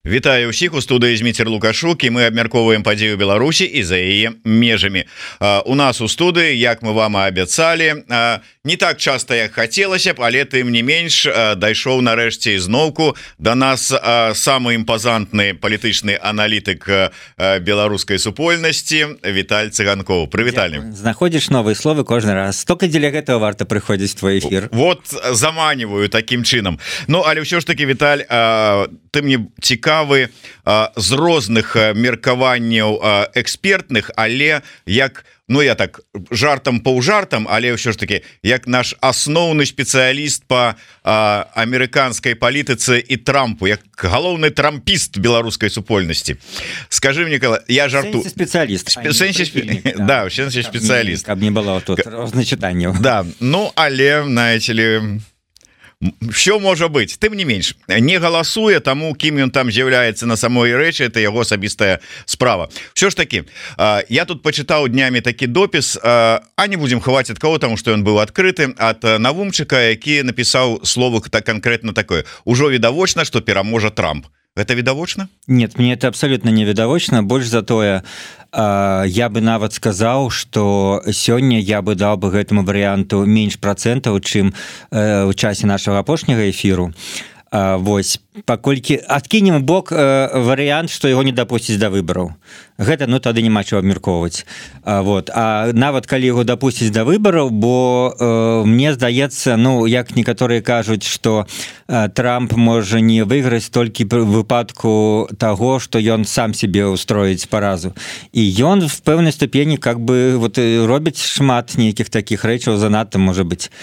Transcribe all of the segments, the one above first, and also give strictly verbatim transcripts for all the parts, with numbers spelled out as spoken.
Вітаю ўсіх у студыі Зміцер Лукашук, і мы абмяркоўваем падзею Беларусі і за яе межамі. У нас у студыі, як мы вам і абяцалі, не так часта, як хацелася б, але тым не менш дайшоў нарэшце ізноўку да нас самы імпазантны палітычны аналітык беларускай супольнасці Віталь Цыганкоў. Прывіталі. Знаходзіш новыя словы кожны раз. Толькі дзеля гэтага варта прыходзіць в твой эфір. Вот заманіваю такім чынам. Ну, але ўсё ж таки, Віталь, ты мне цікавы з розных меркаванняў экспертных, але як, ну я так жартам паўжартам, але ўсё ж таки як наш асноўны спецыяліст по амерыканскай палітыцы і Трампу, як галоўны трампіст беларускай супольнасці. Скажи мне, я жарту спецыяліст, да, в сэнсе спецыяліст, каб не было тут розначытанняў. Да, ну але знаете ли, все можа быць. Тым не менш, не галасуе таму, кім ён там з'яўляецца на самой рэчы, это яго асабістая справа. Все ж таки, я тут пачытаў днямі такі допіс, а не будем хаваць ад кого, таму што ён быў адкрыты, ад Навумчыка, які напісаў слово так конкретно такое: ужо відавочна, што пераможа Трамп. Гэта відавочна? Нет, мне это абсолютно не відавочна. Больш за тое, я бы нават сказаў, што сёння я бы даў бы гэтаму варыянту менш працэнтаў, чым у часе нашага апошняга эфіру. Вось, паколькі адкінем бок варыянт, што яго не дапусціць да выбараў. Гэта, ну, тады няма чаго абмяркоўваць. Вот. А нават калі яго дапусціць да выбараў, бо э, мне здаецца, ну, як некаторыя кажуць, што э, Трамп можа не выйграць толькі ў выпадку таго, што ён сам себе устроіць паразу. І ён в пэўнай ступені как бы вот, робіць шмат нейкіх такіх рэчаў, занадта можа быць.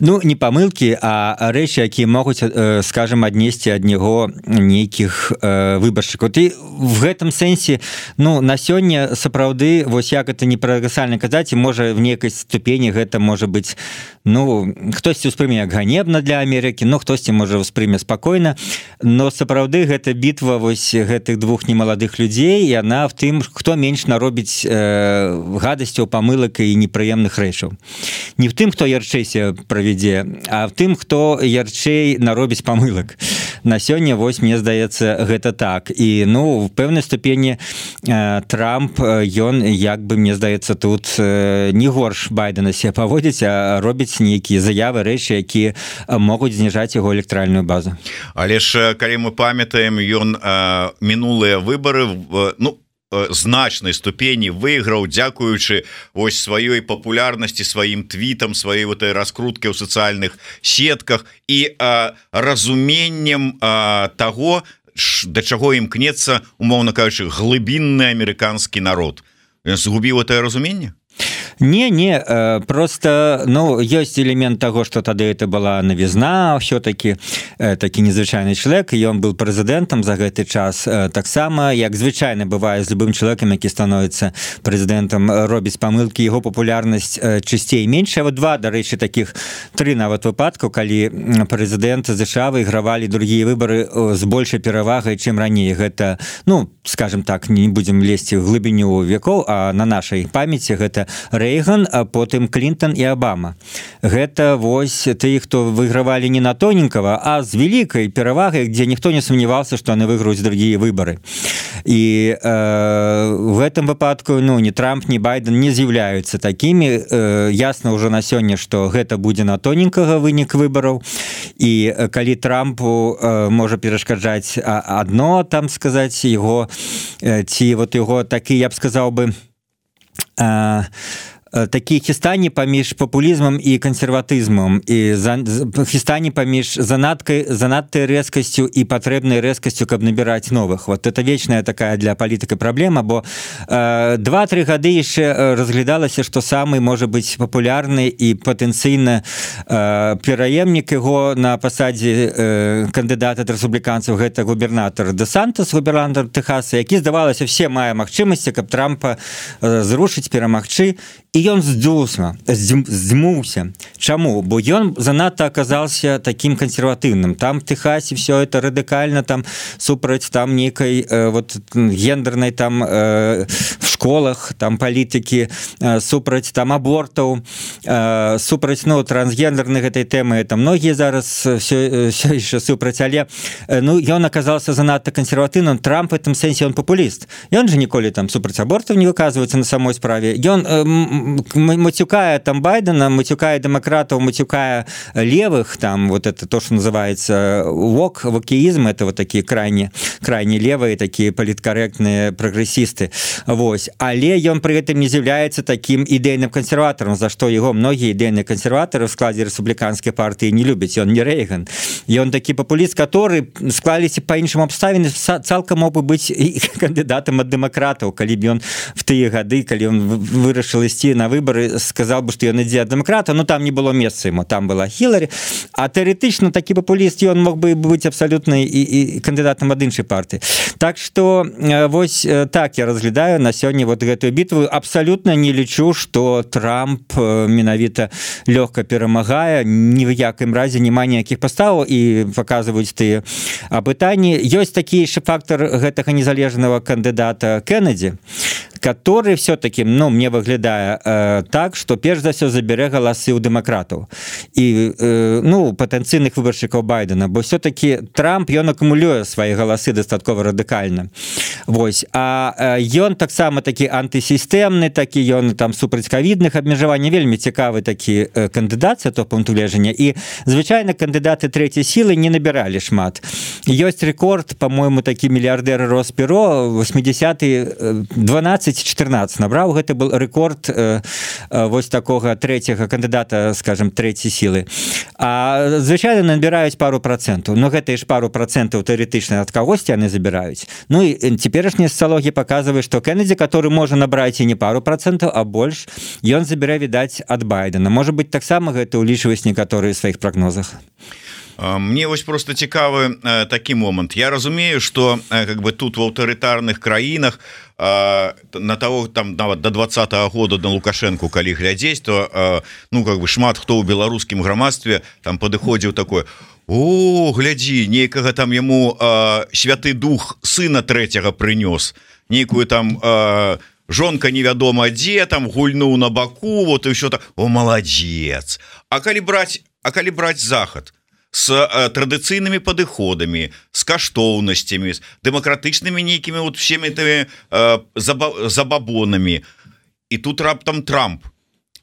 Ну, не памылкі, а рэчы, якія могуць, скажем, аднесці ад него нейкіх э, выбаршчыкаў. Ты в гэтым сэнсе, ну, на сёння сапраўды, вось як это не парадаксальна казаць, і можа в нейкай ступені гэта можа быць, ну, хтосьці ўспрыме як ганебна для Амерыкі, ну, хтосьці можа ўспрыме спакойна, но сапраўды гэта бітва вось гэтых двух немаладых людзей, і яна в тым, хто менш наробіць э, гадасцяў, памылак і непрыемных рэчаў. Не в тым, хто ярчэйся правядзе, а в тым, хто ярчэй наробіць памылак. На сёння, вось, мне здаецца, гэта так. І, ну, в пэўнай ступені э, Трамп, ён, як бы, мне здаецца, тут э, не горш Байдена себе паводзіць, а робіць нейкія заявы, рэчы, якія могуць зніжаць яго электаральную базу. Але ж, калі мы памятаем, ён э, мінулыя выбары, э, ну, значнай ступені выйграў, дзякуючы ось сваёй папулярнасці, сваім твітам, сваёй вот раскруткі ў сацыяльных сетках і а, разуменнем а, таго, да чаго імкнецца, умоўна кажучы, глыбінны амерыканскі народ. Ён згубіў это разуменне? Не, не, просто, ну, ёсць элемент таго, што тады это была навізна, ўсё-такі такі незвычайны чалавек, і ён быў прэзідэнтам за гэты час. Таксама, як звычайна бывае з любым чалавекам, які становіцца прэзідэнтам, робіць памылкі, яго папулярнасць чысцей меншая. Вот два, дарэчы, такіх, тры нават выпадкаў, калі прэзідэнт ЗША выйгравалі другія выбары з большай перавагай, чым раней. Гэта, ну, скажем так, не будзем лезці ў глыбіню векоў, а на нашай памяці гэта Рэйган, а потым Клінтон і Абама. Гэта вось тыя, хто выйгравалі не на тоненькага, а з вялікай перавагай, дзе ніхто не сумняваўся, што яны выйграюць другія выбары. І э, в гэтым выпадку, ну, ні Трамп, ні Байден не з'яўляюцца такімі. Э, ясна ўжо на сёння, што гэта будзе на тоненькага вынік выбараў. І э, калі Трампу э, можа перашкаджаць адно, там сказаць, яго, э, ці вот яго такі, я б сказаў бы, э, такі хістані паміж папулізмам і кансерватызмам, і за, хістані паміж занадкай, занадтай рэзкасцю і патрэбнай рэзкасцю, каб набіраць новых. Вот это вечная такая для палітыка праблема, бо э, два-тры гады яшчэ разглядалася, што самы можа быць папулярны і патэнцыйна э, пераемнік яго на пасадзе э, кандыдата ад рэспубліканцаў, гэта губернатар ДеСантас, губернатар Тэхаса, які, здавалася, все мае магчымасці, каб Трампа э, зрушыць, перамагчы. І ён здзюсма, здзьмуўся. Чаму? Бо ён занадта аказаўся такім кансерватыўным. Там в Тэхасе все это радыкальна, там супраць там нейкай э, вот, гендернай там э, в школах там палітыкі супраць там абортаў супраць ну трансгендерных гэтай тэмы это многія зараз все, все еще супраць але ну ён оказался занадта кансерватыўным Трамп в этом сэнсе он популіст ён же ніколі там супраць абортаў не выказваецца на самой справе ён мацюкае там Байдена мацюкае дэмакратаў мацюкае левых там вот это то что называется вок вокеизм это вот такие крайне крайне левые такие паліткарэктныя прагрэсісты вось але ён при этом не з'яўляецца таким ідэйным кансерватарам за што яго многія ідэйныя кансерватары в складзе рэспубліканскай партыі не любяць ён не Рейган ён такі папуліст который склаліся по іншым абставіны цалкам мог бы быць кандыдатам ад дэмакратаў калі б ён в тыя гады калі он вырашыў ісці на выборы сказал бы что ён ідзе ад дэмакрата но там не было месца ему там была Хіларі а тэарэтычна такі папуліст ён мог бы быць абсалютна і, і кандыдатам ад іншай партыі так что вось так я разглядаю на сёння вот гэтую бітву абсалютна не лічу что Трамп менавіта лёгка перамагае ні в якім разе няма ніякіх паставаў і показваюць тыя апытанні ёсць такі яшчэ фактор гэтага незалежнага кандыдата Кеннеді который все-таки ну мне выглядае э, так что перш за все забярэ галасы ў дэмакратаў і э, ну патэнцыйных выбаршчыкаў Байдена бо все-таки Трамп ён акумулюе свае галасы дастаткова радыкальна вось а ён таксама такі антысістэмны такі ён там супраць ковідных абмежаванняў вельмі цікавы такі э, кандыдат то пункту гледжання і звычайна кандыдаты трэцяй сілы не набіралі шмат ёсць рэкорд по-моему такі мільярдэр Роспіро восьмидесятые дванадцать четырнадцать набраў гэта был рэкорд э, э, вось такога трэцяга кандыдата скажем трэцяй сілы а звычайна набіраюць пару процентаў но гэта ж пару процентаў тэарэтычна ад кагосьці яны забіраюць ну і цяперашняя сацыялогія показывае что Кеннеді который можа набраць і не пару процентаў а больш ён забірае відаць ад Байдена можа быть таксама гэта улічваюць некаторыя сваіх прагнозах. Мне вось просто цікавы э, такі момант я разумею что э, как бы тут в аўтарытарных краінах э, на того там нават до двадцатого года на Лукашенко калі глядзець то э, ну как бы шмат хто ў беларускім грамадстве там падыходзіў такой о глядзі нейкага там яму э, святы дух сына трэцяга прынёс нейкую там э, жонка невядома дзе там гульнуў на баку вот і ўсё так о маладзец а калі браць а калі браць захад с э, традыцыйнымі падыходамі с каштоўнасцямі с дэмакратычнымі нейкімі вот всеми этими э, заба забабонамі і тут раптам Трамп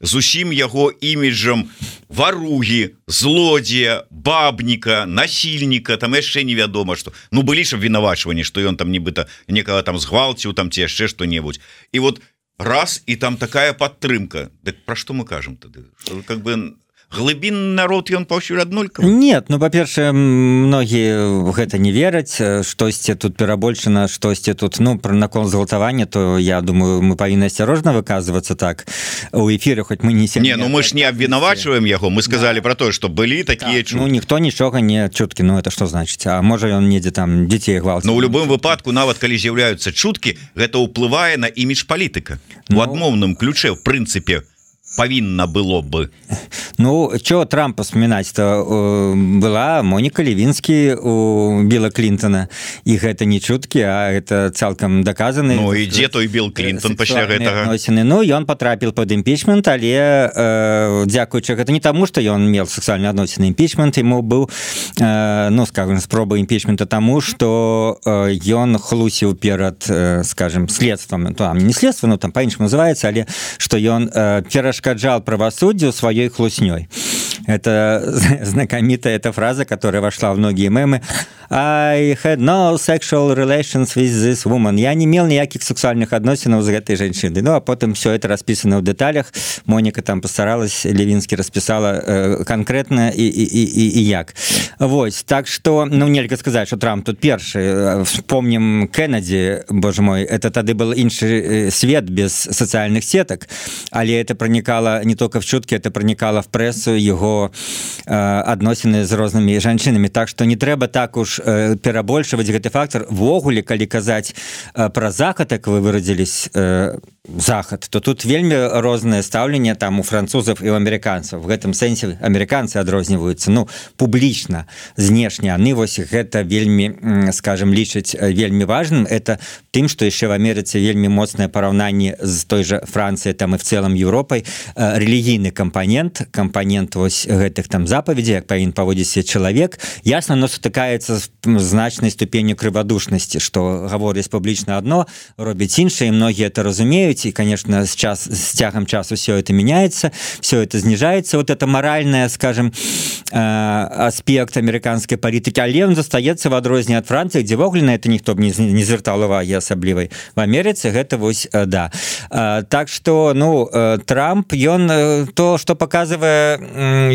з усім яго іміджам варугі злодзея бабніка насільніка там яшчэ невядома что ну былі ж абвінавачванні что ён там нібыта некага там згвалціў там ці яшчэ што-небудзь і вот раз і там такая падтрымка дык пра што мы кажам тады что как бы глыбінны народ ён паўсюль аднолькавы нет ну па-першае многія гэта не вераць штосьці тут перабольшана штосьці тут ну пра наконт згвалтавання то я думаю мы павінны асцярожна выказвацца так у эфіры хоць мы не не ну мы ж не абвінавачваем яго мы сказали да. про тое что былі такія так, ну ніхто нічога не чуткі ну это что значыць а можа ён недзе там дзяцей гвалціў но у любым выпадку нават калі з'яўляюцца чуткі гэта ўплывае на імідж палітыка ну, у адмоўным ключе в прынцыпе павінна было бы ну чё Трампа вспоминать то э, была Моніка Левінскі у Біла Клінтона і гэта не чуткі а это цалкам доказаны ну і дзе той Біл Клінтон пасля гэтага адносіны ну ён потрапіў под імпічмент але э, дзякуючы гэта не таму что ён меў сексуальны адносіны імпічмент ему быў э, ну скажем спроба імпічмента таму что э, ён хлусіў перад э, скажем следствам там не следства ну там па-іншаму называецца але что ён э, пераш перашкаджал правосуддию своей хлуснёй. Это знакомитая эта фраза, которая вошла в многие мемы. I had no sexual relations with this woman. Я не имел никаких сексуальных отношений с этой женщиной. Ну, а потом все это расписано в деталях. Моника там постаралась, Левинский расписала э, конкретно и, и, и, и як. Вот. Так что, ну, нельзя сказать, что Трамп тут первый. Вспомним Кеннеді, боже мой, это тогда был інший свет без социальных сеток, але это проникало не только в чутки, это проникало в прессу, его про адносіны з рознымі жанчынамі, так што не трэба так уж перабольшваць гэты фактор. Ввогуле, калі казаць пра захад, як вы выразілись, захад, то тут вельмі рознае стаўленне там у французаў і у амерыканцаў. В гэтым сэнсе амерыканцы адрозніваюцца, ну, публічна, знешне. Яны вось гэта вельмі, скажем, лічаць вельмі важным. Это тым, што яшчэ в Амерыцы вельмі моцнае параўнанне з той жа Францыяй там і в цэлым Еўропай. Рэлігійны кампанент, кампанент вось гэтых там запаведзей, як павінен паводзіць чалавек, ясна, но сутыкаецца з значнай ступенню крывадушнасці, што гаворыць публічна адно, робіць іншае, і многія это разумеюць. И, конечно, с, час, с тягом часу все это меняется, все это снижается. Вот это моральное, скажем, аспект американской политики, але он застаецца в адрозненне от Франции, где вогуле на это никто не, не звертал уваги асаблівай. В Америце гэта вось, да. Так что, ну, Трамп, он то, что показывает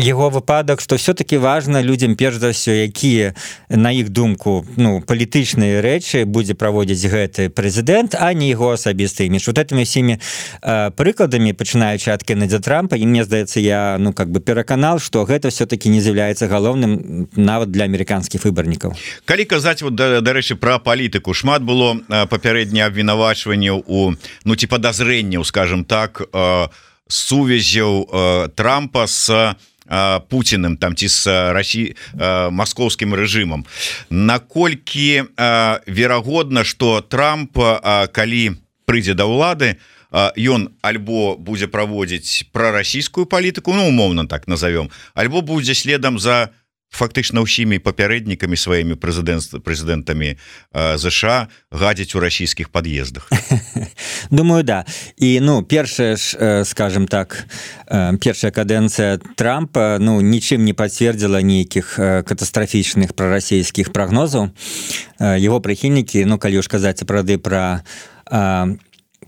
его выпадок, что все-таки важно людям, перш за все, якія, на их думку, ну, палітычныя рэчы будзе праводзіць гэты прэзідэнт, а не его асабісты імідж. Вот этими всеми э, прыкладамі, пачынаючы ад Кеннеди Трампа, і мне здаецца, я ну как бы пераканал, што гэта все-таки не з'яўляецца галоўным нават для амерыканскіх выбарнікаў. Калі казаць вот, дарэчы, пра палітыку, шмат было папярэдне абвінавачванняў у ну ці падазрэнняў, скажем так, э, сувязяў э, Трампа с Путиным там ці з Росси маскоўскім рэжымам. Наколькі э, верагодна, што Трамп, э, калі прыйдзе да ўлады, ён альбо будзе праводзіць прарасійскую палітыку, ну умоўна так назовём, альбо будзе следам за фактычна ўсімі папярэднікамі сваімі прэзідэнтамі ЗША гадзіць у расійскіх пад'ездах. Думаю, да. І ну першая ж, скажем так, першая кадэнцыя Трампа ну нічым не пацвердзіла нейкіх катастрафічных прарасійскіх прагнозаў. Его прыхільнікі, ну калі ўж казаць сапраўды пра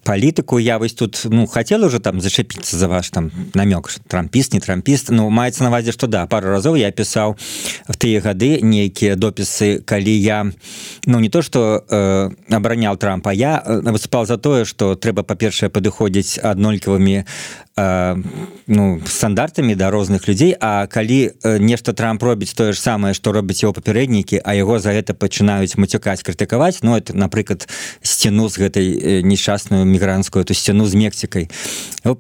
политику, я вось тут ну хотел уже там зачепиться за ваш там намек, трампіст, не трампіст, ну маецца на увазе, что да, пару разоў я писал в тыя гады нейкія дописы, калі я ну не то что э, абаранял Трампа, я выступал за тое, что трэба па-першае падыходзіць аднолькавымі э, ну стандартамі да розных людзей, а калі э, нешта Трамп робіць тое ж самае, што робяць его папярэднікі, а яго за гэта пачынаюць мацюкаць, крытыкаваць, ну это, напрыклад, сцяну з гэтай э, несчастную мігрантскую эту сцяну з Мексікай.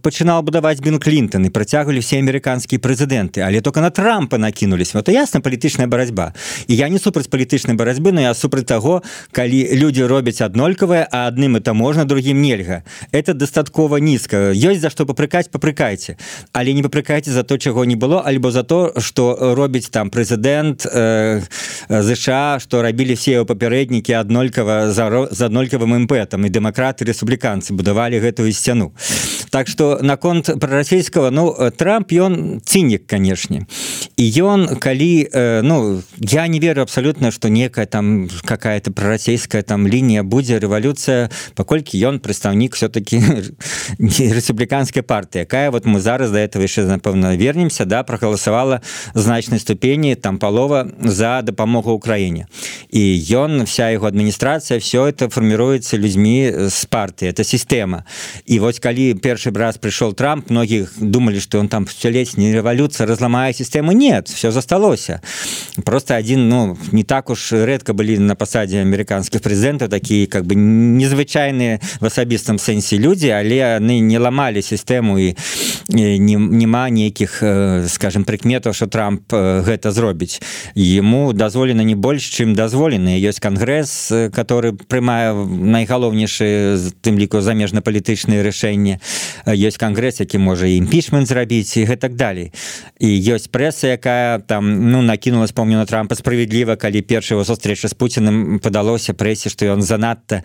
Пачынал будаваць Білл Клінтон, і працягвалі все амерыканскія прэзідэнты, але только на Трампа накінулись. Вот ясна палітычная барацьба. І я не супраць палітычнай барацьбы, но я супраць таго, калі людзі робяць аднолькавае, а адным это можна, другім нельга. Это дастаткова нізка. Ёсць за што папрыкаць, папрыкайце. Але не папрыкайце за то, чаго не было, альбо за то, што робіць там прэзідэнт э, ЗША, што рабілі все яго папярэднікі аднолькава за, за аднолькавым імпэтам, і дэмакраты, і рэспубліканцы будавалі гэтую сцяну. Так что наконт прарасійскага, ну Трамп ён цінік, канешне. І ён калі э, ну я не верю абсолютно, что некая там какая-то прарасійская там лінія будзе, рэвалюцыя, паколькі ён прадстаўнік все-таки рэспубліканскай партыі, якая вот мы зараз да этого яшчэ напэўна вернемся, да, прагаласавала значнай ступені там палова за дапамогу Украіне. І ён, вся яго адміністрацыя, все это фарміруецца людзьмі з партыі, это система. И вот калі першы раз пришел Трамп, многие думали, что он там столетняя революция разломает систему. Нет, все засталося. Просто один, ну, не так уж редко были на посаде американских президентов такие, как бы, незвычайные в особистом сенсе люди, але они не ломали систему, и, и нема неких, скажем, прикметов, что Трамп гэта зробіць. Ему дозволено не больше, чем дозволено. Есть конгресс, который прымае найгалоўнейшие, тым ліку, замежна-палітычныя рашэнні. Ёсць кангрэс, які можа і імпічмент зрабіць, і гэтак далей. І ёсць прэса, якая там, ну, накінулась, помню, на Трампа справедліва, калі першая его сустрэча з Пуціным падалося прэсе, што ён занадта,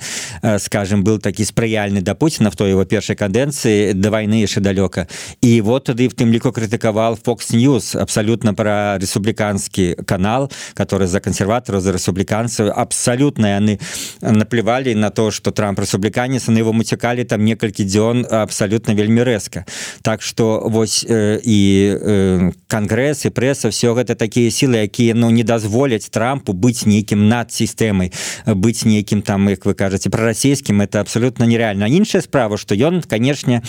скажем, был такі спрыяльны да Пуціна в той его першай кадэнцыі, да вайны яшчэ далёка. І вот тады в тым ліку крытыкавал Fox News абсолютно пра рэспубліканскі канал, который за консерватараў, за рэспубліканцаў. Абсолютно яны наплевали на то, что Трамп рэспубліканец, на его муцякалі там некалькі дзён абсолютно абсолютно вельмі рэзка. Так что вось э, і э, кангрэс і прэса, все гэта такія сілы, якія ну не дазволяць Трампу быць нейкім над сістэмай, быць нейкім там, як вы кажаце, прарасійскім, это абсолютно нереальна. Іншая справа, што ён, канешне,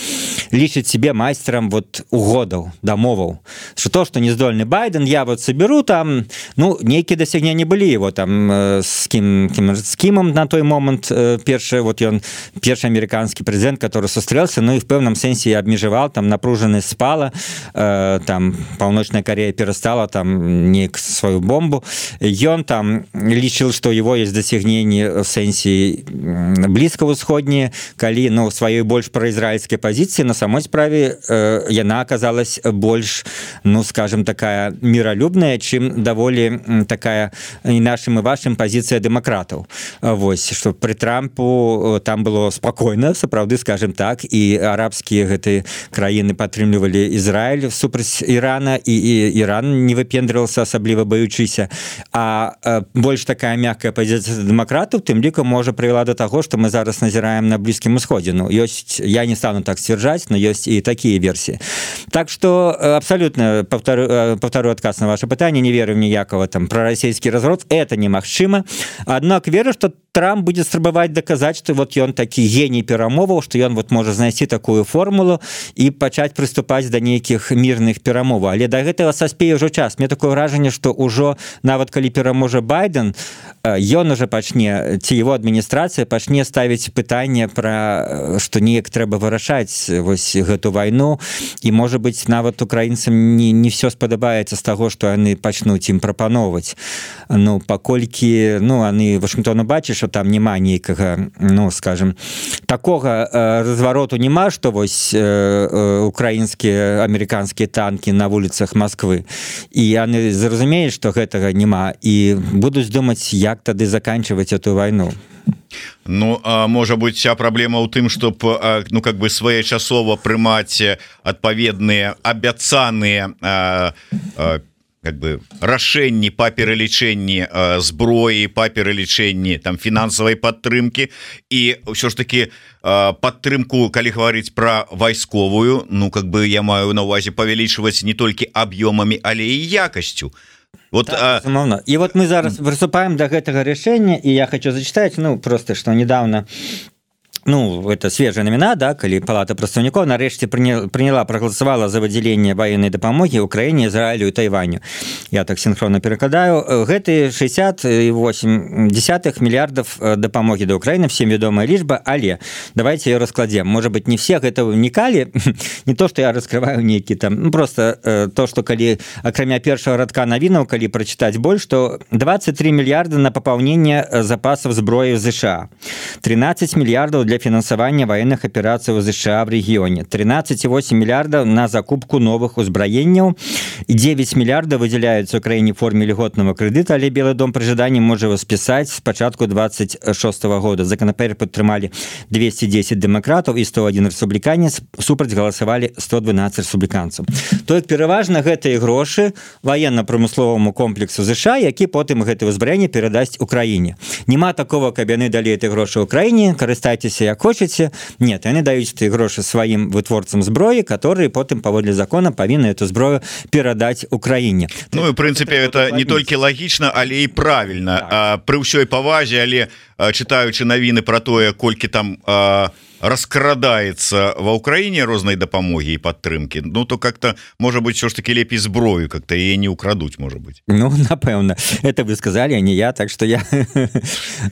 лічыць себе майстерам вот угодаў, дамоваў. Что то, что не здольны Байден, я вот соберу там, ну, нейкія дасягненні былі его там с кім, кім, с кімом на той момант першы, вот ён першы американскі прэзідэнт, который сустрэлся, ну і в пэўным сэнсе абмежаваў, там напружанасць спала, э, там Паўночная Корея перастала там неяк сваю бомбу. Ён там лічыў, што его есть дасягненні в сэнсе блізкавусходнія, калі ну сваёй больш праізраільскай пазіцыі, на самой справе э, яна аказалась больш, ну скажем, такая міралюбная, чым даволі такая і нашым і вашым пазіцыя дэмакратаў. Вось, што пры Трампу там было спакойна, сапраўды, скажем так, і арабскія гэтыя краіны падтрымлівалі Ізраіль супраць Ірана, і, і Іран не выпендрывался, асабліва баючыся. А э, больш такая мяккая пазіцыя дэмакратаў, тым лікам можа прывяла до таго, што мы зараз назіраем на Блізкім Усходзе. Ну, ёсць, я не стану так сцвярджаць, но ёсць і такія версіі. Так што абсолютно повторю, повторю адказ на ваше пытанне, не верю в ніякого там прарасійскі разворот, это немагчыма. Аднак веру, што Трамп будзе спрабаваць даказаць, што вот ён такі геній перамоваў, што ён вот можа знайсці такую формулу і пачаць прыступаць да нейкіх мірных перамоваў. Але да гэтага саспее ўжо час. Мне такое ўражанне, што ўжо нават калі пераможа Байден, ён уже пачне, ці его адміністрацыя пачне ставіць пытанне пра што неяк трэба вырашаць вось гэту вайну, і можа быць нават украінцам не, не все спадабаецца з таго, што яны пачнуць ім прапановваць. Ну, паколькі ну, яны Вашынгтону бачаць, што там няма нейкага, ну, скажем, такога э, развароту няма, што вось э, э, украінскія, амерыканскія танкі на вуліцах Москвы. І яны зразумеюць, што гэтага няма, і будуць думаць, як тады заканчивать эту войну. Ну, а, можа быть, вся праблема ў тым, чтоб ну как бы своечасова прымаць адпаведныя абяцаныя а, а, как бы рашэнні па пералічэнні зброі, па пералічэнні там фінансавай падтрымкі, і ўсё ж таки падтрымку, калі гаварыць пра вайсковую, ну как бы я маю на увазе павялічваць не толькі аб'ёмамі, але і якасцю. Вот, так, а... И вот мы зараз приступаем до этого решения, и я хочу зачитать, ну, просто, что недавно, ну, это свежая новина, да, калі Палата прадстаўнікоў нарэшце приняла, проголосовала за выделение военной дапамогі Украине, Израилю и Тайваню. Я так синхронно перекладаю. Гэтые шестьдесят восемь десятых миллиардов дапамогі до Украины, всем ведомая лічба, але давайте ее раскладем. Может быть, не всех это уникали, не то, что я раскрываю некие там, ну, просто э, то, что калі, акрамя першого радка навінаў, калі прочитать больше, что двадцать три миллиарда на пополнение запасов зброі в США, тринадцать миллиардов для финансования военных операций в США в регионе, тринадцать целых восемь миллиардов на закупку новых узброенняў, и девять миллиардов выделяются Украине в форме льготного кредита, але Белый дом при жадании может его списать с початку двадцать шестого года. Законопроект подтрымали двести десять демократов и сто один республиканец, супраць голосовали сто двенадцать республиканцев. То есть пераважна гэтыя грошы военно-промысловому комплексу США, які потым гэтае узбраенне перадасць Украине. Нема такого, каб яны далі эти грошы Украине, карыстайцеся як хочаце. Нет, яны даюць эти грошы сваім вытворцам зброі, которые потым паводле закона павінны эту зброю перадаць Украине. Ну і в принципе это не толькі лагічна, але і правильно. Так. А, пры ўсёй павазе, але читаючы навіны про тое, колькі там а, раскрадаецца ва Украине рознай дапамогі і падтрымки, ну то как-то может быть все ж таки лепей зброю, как-то яе не украдуць, может быть. Ну напэўна, это вы сказали, а не я, так что я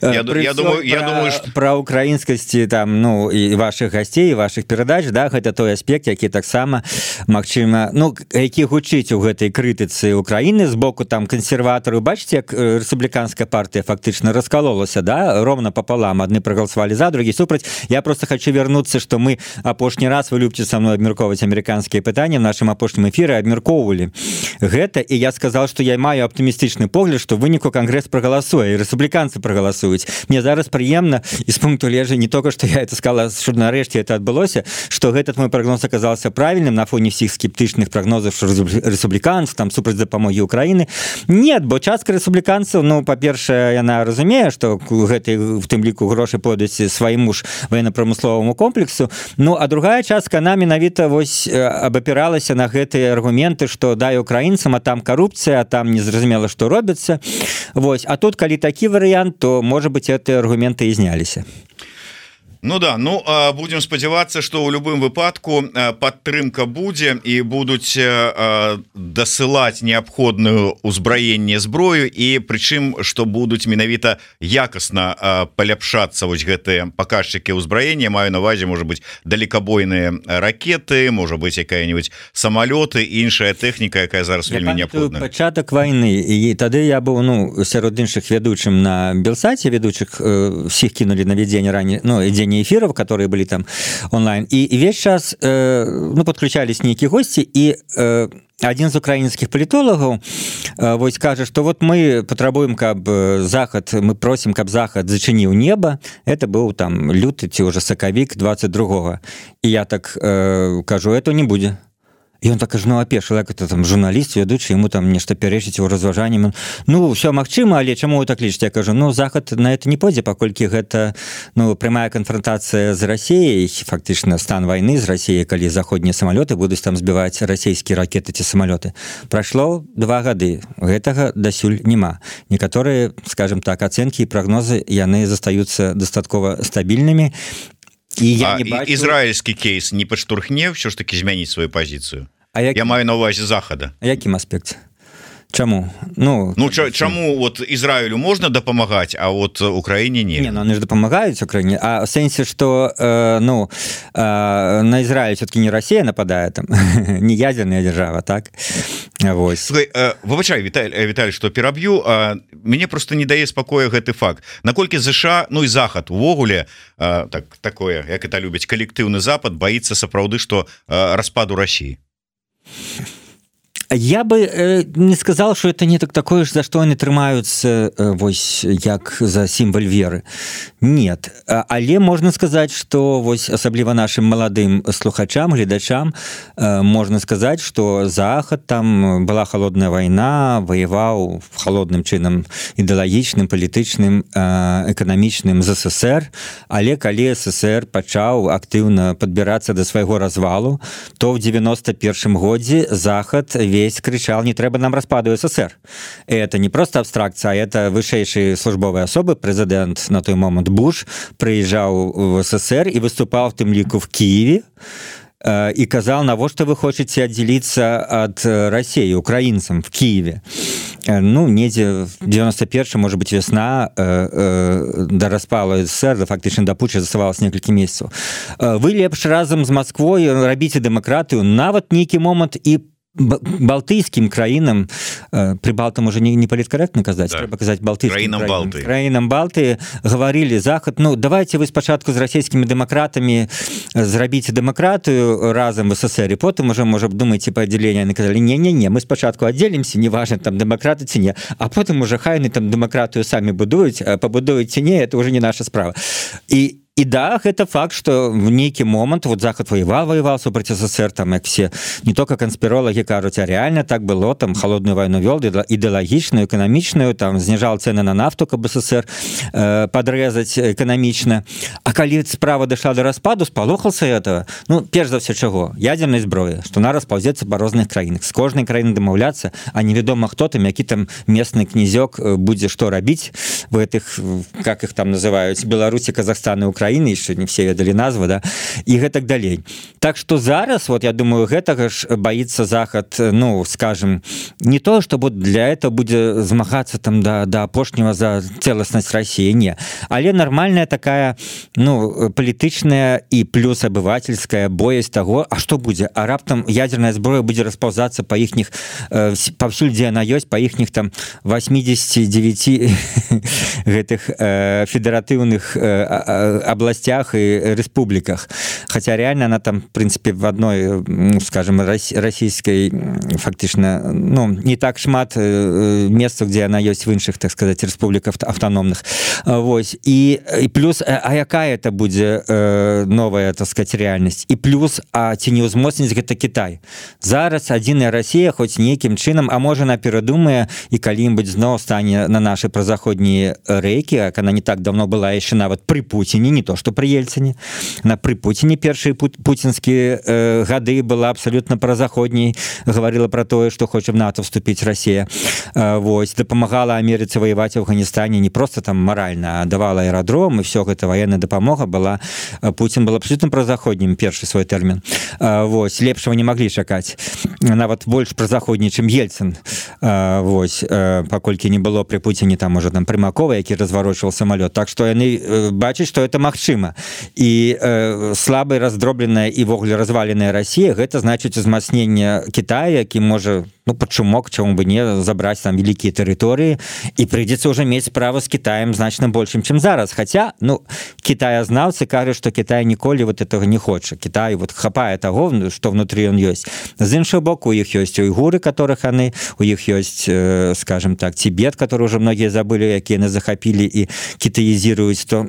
я, я думаю, я думаю что... про украінскасці там, ну і ваших гостей, ваших перадач, да, гэта той аспект, які таксама магчыма, ну які гучыць у гэтай крытыцы Украины з боку там кансерватараў. Бачите, як рэспубліканская партыя фактычна раскалолася, да, ровно пополам, адны проголосовали за, другие супраць. Я просто хочу вернуться, что мы апошні раз, вы любите со мной абмяркоўваць американские пытания, в нашем апошнім эфире абмяркоўвалі гэта, и я сказал, что я маю оптимистичный погляд, что выніку Конгресс проголосуе, и республиканцы проголосуюць. Мне зараз прыемна из пункту лежа не только, что я это сказала, что нарэшце это адбылося, что этот мой прогноз оказался правильным на фоне всех скептычных прогнозов, что республиканцы там супраць дапамогі Украины. Нет, бо частка республиканцев, ну, по-першае, яна разумее, что гэты в тым ліку грошы пойдуць свайму ж военно-промысловому прамысловаму комплексу. Ну а другая частка она менавіта вось абапіралася на гэтыя аргументы, што дай украінцам, а там карупцыя, а там незразумела што робіцца. Вось, а тут калі такі варыянт, то можа быть гэтыя аргументы і зняліся. Ну да, ну будем спадзявацца, что ў любым выпадку падтрымка будзе і будуць дасылаць неабходную ўзбраенне зброю, і прычым што будуць менавіта якасна паляпшацца вось гэтыя паказчыкі ўзбраення. Маю на увазе, можа быть, далекабойныя ракеты, можа быть, якая-нибудь самалёты, іншая тэхніка, якая зараз вельмі неабходная. Пачатак вайны, і тады я быў ну сярод іншых ведучым на Белсаце, ведучых всіх кінулі на вядзенне раней, ну ідзе эфиров, которые были там онлайн, и весь час э, ну, подключались некие гости, и э, один из украинских политологов э, вот скажет, что вот мы потребуем, как Захад, мы просим, как Захад зачинил небо. Это был там лютый, уже сакавик двадцать другого. И я так э, кажу, это не будет. І он так кажа, ну апешыл, як это там журналіст вядучы, яму там нешта пярэчыць у разважанні. Ну ўсё магчыма, але чаму вы так лічыце? Я кажу, ну Захад на это не пойдзе, паколькі гэта ну прямая канфронтацыя з Расіяй, фактычна стан вайны з Расіяй, калі заходнія самалёты будуць там збіваць расійскія ракеты ці самалёты. Прайшло два гады, гэтага дасюль няма. Некаторыя, скажем так, ацэнкі і прагнозы яны застаюцца дастаткова стабільнымі. І я а, не бачу... Ізраільскі кейс не падштурхне ўсё ж таки змяніць сваю пазіцыю? А як... Я маю на ўвазе Захада. А якім аспекце? Чаму? Ну, ну ч- чаму вот Ізраілю можна дапамагаць, а вот Украіне не? Не, ну они ж дапамагаюць Украіне, а в сэнсе, што э, ну, э, на Ізраіль все-таки не Россия нападае, там, не ядерная держава, так? Вось. Слухай, э, выбачай, Віталь, Віталь, што пераб'ю, э, мяне просто не дае спакоя гэты факт. Наколькі ЗША, ну і Захад увогуле, э, так, такое, як это любіць, калектыўны Запад, баіцца сапраўды, што э, распаду России? Я бы э, не сказал, что это не так такое ж, за што яны трымаюцца э, вось як за сімвал веры. Нет, але можна сказаць, што вось асабліва нашим маладым слухачам, гледачам э, можна сказаць, што Захад, там была холодная вайна, воеваў холодным чынам ідэалагічным, палітычным, э, эканамічным з СССР, але калі СССР пачаў актыўна падбірацца да свайго развалу, то в девяносто первом годзе Захад весь кричал, не трэба нам распаду СССР. Это не просто абстракция, а это вышэйшие службовые особы. Президент на той момент Буш приезжал в СССР и выступал в тым ліку в Киеве э, и казал, навошта вы хотите отделиться от России, украинцам в Киеве. Э, ну, недзе в девяносто первом, может быть, весна э, э, до распала СССР, да, фактично до путча заставалось несколько месяцев. Э, вы лепш разом с Москвой робіце дэмакратыю, нават нейкі момант і балтыйскім краінам, прыбалтам уже не, не паліткарэктна казаць, да. Трэба казаць балтыйскім краінам Балты. Краінам Балты гаварылі Захад, ну давайте вы спачатку з расійскімі дэмакратамі зрабіце дэмакратыю разам в СССР, і потым уже можа думаеце па аддзяленні, яны казалі, не-не-не, мы спачатку аддзелімся, неважна там дэмакраты ці не, а потым уже хай яны там дэмакратыю самі будуюць, пабудуюць ці не, это уже не наша справа. І И да, это факт, что в некий момент вот Захад воевал, воевал супраць СССР, там, как все, не только конспирологи кажут, а реально так было, там, холодную войну вел, идеологичную, экономичную, там, снижал цены на нафту, как бы СССР э, подрезать экономично. А коли справа дошла до распаду, спалохался этого, ну, перш за все чего? Ядерной зброи, что она расползется по разных краинах. С кожной краиной домовляться, а неведомо кто там, який там местный князек будет что робить в этих, как их там называют, Беларуси, Казахстана, Украины, еще не все ведали назву, да, и гэтак далей. Так что зараз, вот я думаю, гэтага ж боится Захад, ну, скажем, не то, что вот для этого будет змагаться там до, до апошнего за целостность России, не, але нормальная такая, ну, политичная и плюс обывательская боязнь того, а что будет? А раптом ядерная зброя будет расползаться по ихних, э, повсюль, где она есть, по ихних там восьмидесяти девяти гэтых э, федеративных э, областях и республиках. Хотя реально она там, в принципе, в одной, ну, скажем, российской, фактично, ну, не так шмат мест, где она есть в іншых, так сказать, республиках автономных. Вот. И, и плюс, а якая это будет новая, так сказать, реальность? И плюс, а ці не ўзмоцніць гэта Китай. Зараз адзіная Россия хоть неким чынам, а можа она перадумае и калі-нибудь зноў стане на наши прозаходние рейки, как она не так давно была еще нават при Путине, не то что при Ельцине, на при Путине першие путинские э, гады была абсолютно прозаходней, говорила про то, что хочет в НАТО вступить Россия, э, вот, допомагала Америце воевать в Афганистане не просто там морально, а давала аэродром, и все это военная допомога была. Путин был абсолютно прозаходним, перший свой термин. Э, вот, лепшего не могли чакать. Нават больше прозаходней, чем Ельцин. Э, вот, э, покольки не было при Путине там уже там Примакова, який разворочивал самолет. Так что они э, бачат, что это магчыма. И э, слабая, раздробленная и вогуле разваленная Россия, это значит узмацнение Китая, які может, ну, под шумок, чему бы не, забрать там великие территории, и придется уже иметь право с Китаем значно большим, чем зараз. Хотя, ну, китаязнавцы кажут, что Китай николи вот этого не хочет. Китай вот хапает того, что внутри он есть. С іншого боку, у них есть уйгуры, которых они, у них есть, э, скажем так, Тибет, который уже многие забыли, какие они захопили и китаизируют, то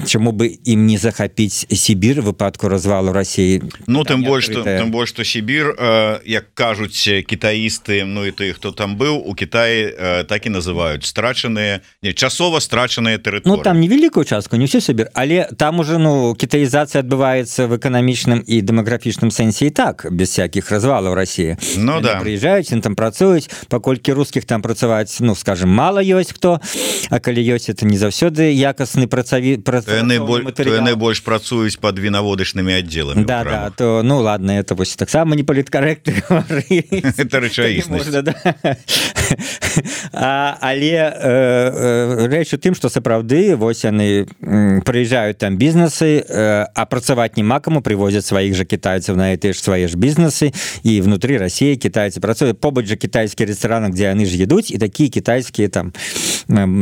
чему бы им не захопить Сибирь в выпадку развалу России. Ну тем больше, что, тем больше, что Сибирь, э, як кажут китаисты, ну и ты, кто там был, у Китая э, так и называют страченные, не, часово страченные территории. Ну там невеликую частку, не всю Сибирь, але там уже, ну, китаизация отбывается в экономичном и демографичном сенсе и так, без всяких развалов России. Ну они да. приезжают, они там працуют, покольки русских там працевать, ну, скажем, мало есть кто, а коли есть, это не завсёды якостный працові... Яны больш працуюць под вінаводачнымі аддзеламі. Да, да, то, ну ладно, это вось таксама не паліткарэктна гаварыць. Это рэчаіснасць. Да. А, але э, э, рэч у тым, што сапраўды вось яны прыязджаюць там бізнесы, э, а працаваць няма каму, привозят сваіх жа китайцаў на эти ж свае ж бізнесы, і внутри России китайцы працуюць. Побач жа кітайскія рэстараны, где яны ж едуць, і такія кітайскія там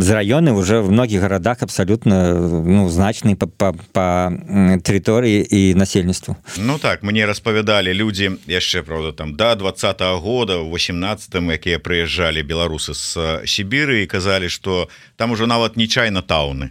з раёны уже в многіх гарадах абсолютно, ну, значные по, по, по территории и насельніцтву. Ну так, мне распавядалі людзі яшчэ, правда, там до двадцатого года, в восемнадцатым, якія прыязджалі беларусы з Сібіры і казалі, что там уже нават не чайна-тауны.